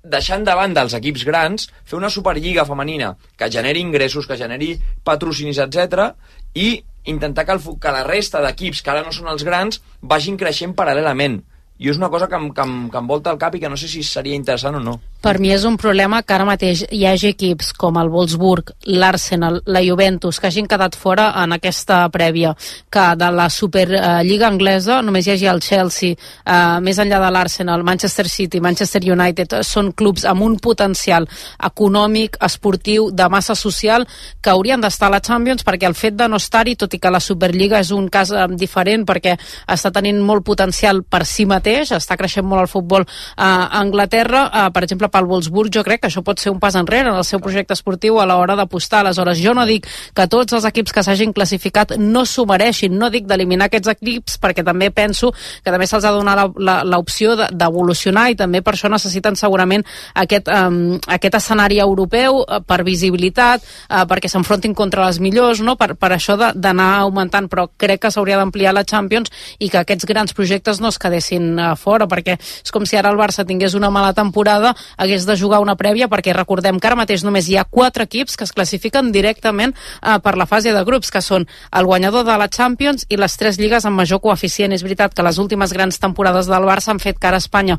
deixant de banda els equips grans, fer una superliga femenina que generi ingressos, que generi patrocinis, etc., i intentar que la resta d'equips que ara no són els grans vagin creixent paral·lelament. I és una cosa que em volta al cap i que no sé si seria interessant o no. Per mi és un problema que ara mateix hi hagi equips com el Wolfsburg, l'Arsenal, la Juventus, que hagin quedat fora en aquesta prèvia, que de la Superliga anglesa només hi hagi el Chelsea, més enllà de l'Arsenal, Manchester City, Manchester United, són clubs amb un potencial econòmic, esportiu, de massa social, que haurien d'estar a la Champions, perquè el fet de no estar-hi, tot i que la Superliga és un cas diferent, perquè està tenint molt potencial per si mateix, està creixent molt el futbol a Anglaterra, per exemple pel Wolfsburg, jo crec que això pot ser un pas enrere en el seu projecte esportiu a l'hora d'apostar. Aleshores, jo no dic que tots els equips que s'hagin classificat no s'ho mereixin, no dic d'eliminar aquests equips, perquè també penso que també se'ls ha de donar l'opció d'evolucionar, i també per això necessiten segurament aquest escenari europeu per visibilitat, perquè s'enfrontin contra les millors, no? Per això d'anar augmentant, però crec que s'hauria d'ampliar la Champions i que aquests grans projectes no es quedessin fora, perquè és com si ara el Barça tingués una mala temporada, hagués de jugar una prèvia, perquè recordem que ara mateix només hi ha 4 equips que es classifiquen directament per la fase de grups, que són el guanyador de la Champions i les 3 lligues amb major coeficient. És veritat que les últimes grans temporades del Barça han fet que ara Espanya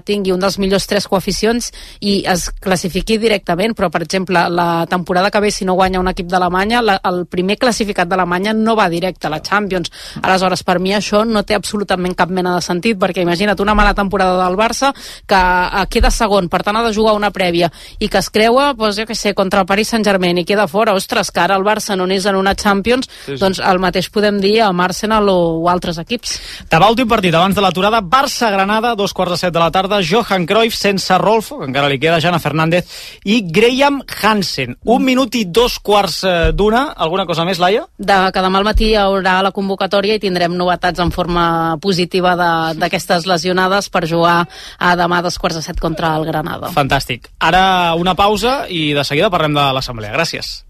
tingui un dels millors 3 coeficients i es classifiqui directament, però per exemple la temporada que ve, si no guanya un equip d'Alemanya, el primer classificat d'Alemanya no va directe a la Champions. Aleshores, per mi això no té absolutament cap mena de sentit, perquè imagina't una mala temporada del Barça que queda segon per tant ha de jugar una prèvia i que es creua, doncs, jo què sé, contra el Paris Saint-Germain i queda fora, ostres, que ara el Barça no n'és en una Champions, doncs el mateix podem dir amb Arsenal o altres equips. Demà últim partit abans de l'aturada, Barça-Granada, 2:15 de la tarda, Johan Cruyff sense Rolfo, que encara li queda, Jana Fernández i Graham Hansen. 1 minut i 2:15. Alguna cosa més, Laia? Que demà al matí hi haurà la convocatòria i tindrem novetats en forma positiva d'aquestes lesionades per jugar a demà a 2:15 contra el Granada. Fantàstic. Ara una pausa i de seguida parlem de l'Assemblea. Gràcies.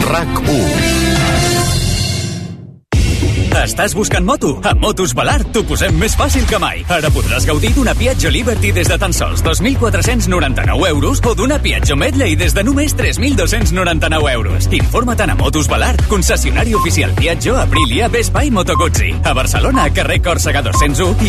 RAC1. Estàs buscant moto? A Motos Balart t'ho posem més fàcil que mai. Ara podràs gaudir d'una Piaggio Liberty des de tan sols 2.499 euros o d'una Piaggio Medley des de només 3.299 euros. Informa't a Motos Balart, concessionari oficial Piaggio, Aprilia, Vespa i Moto Guzzi. A Barcelona, carrer Còrsega 201 i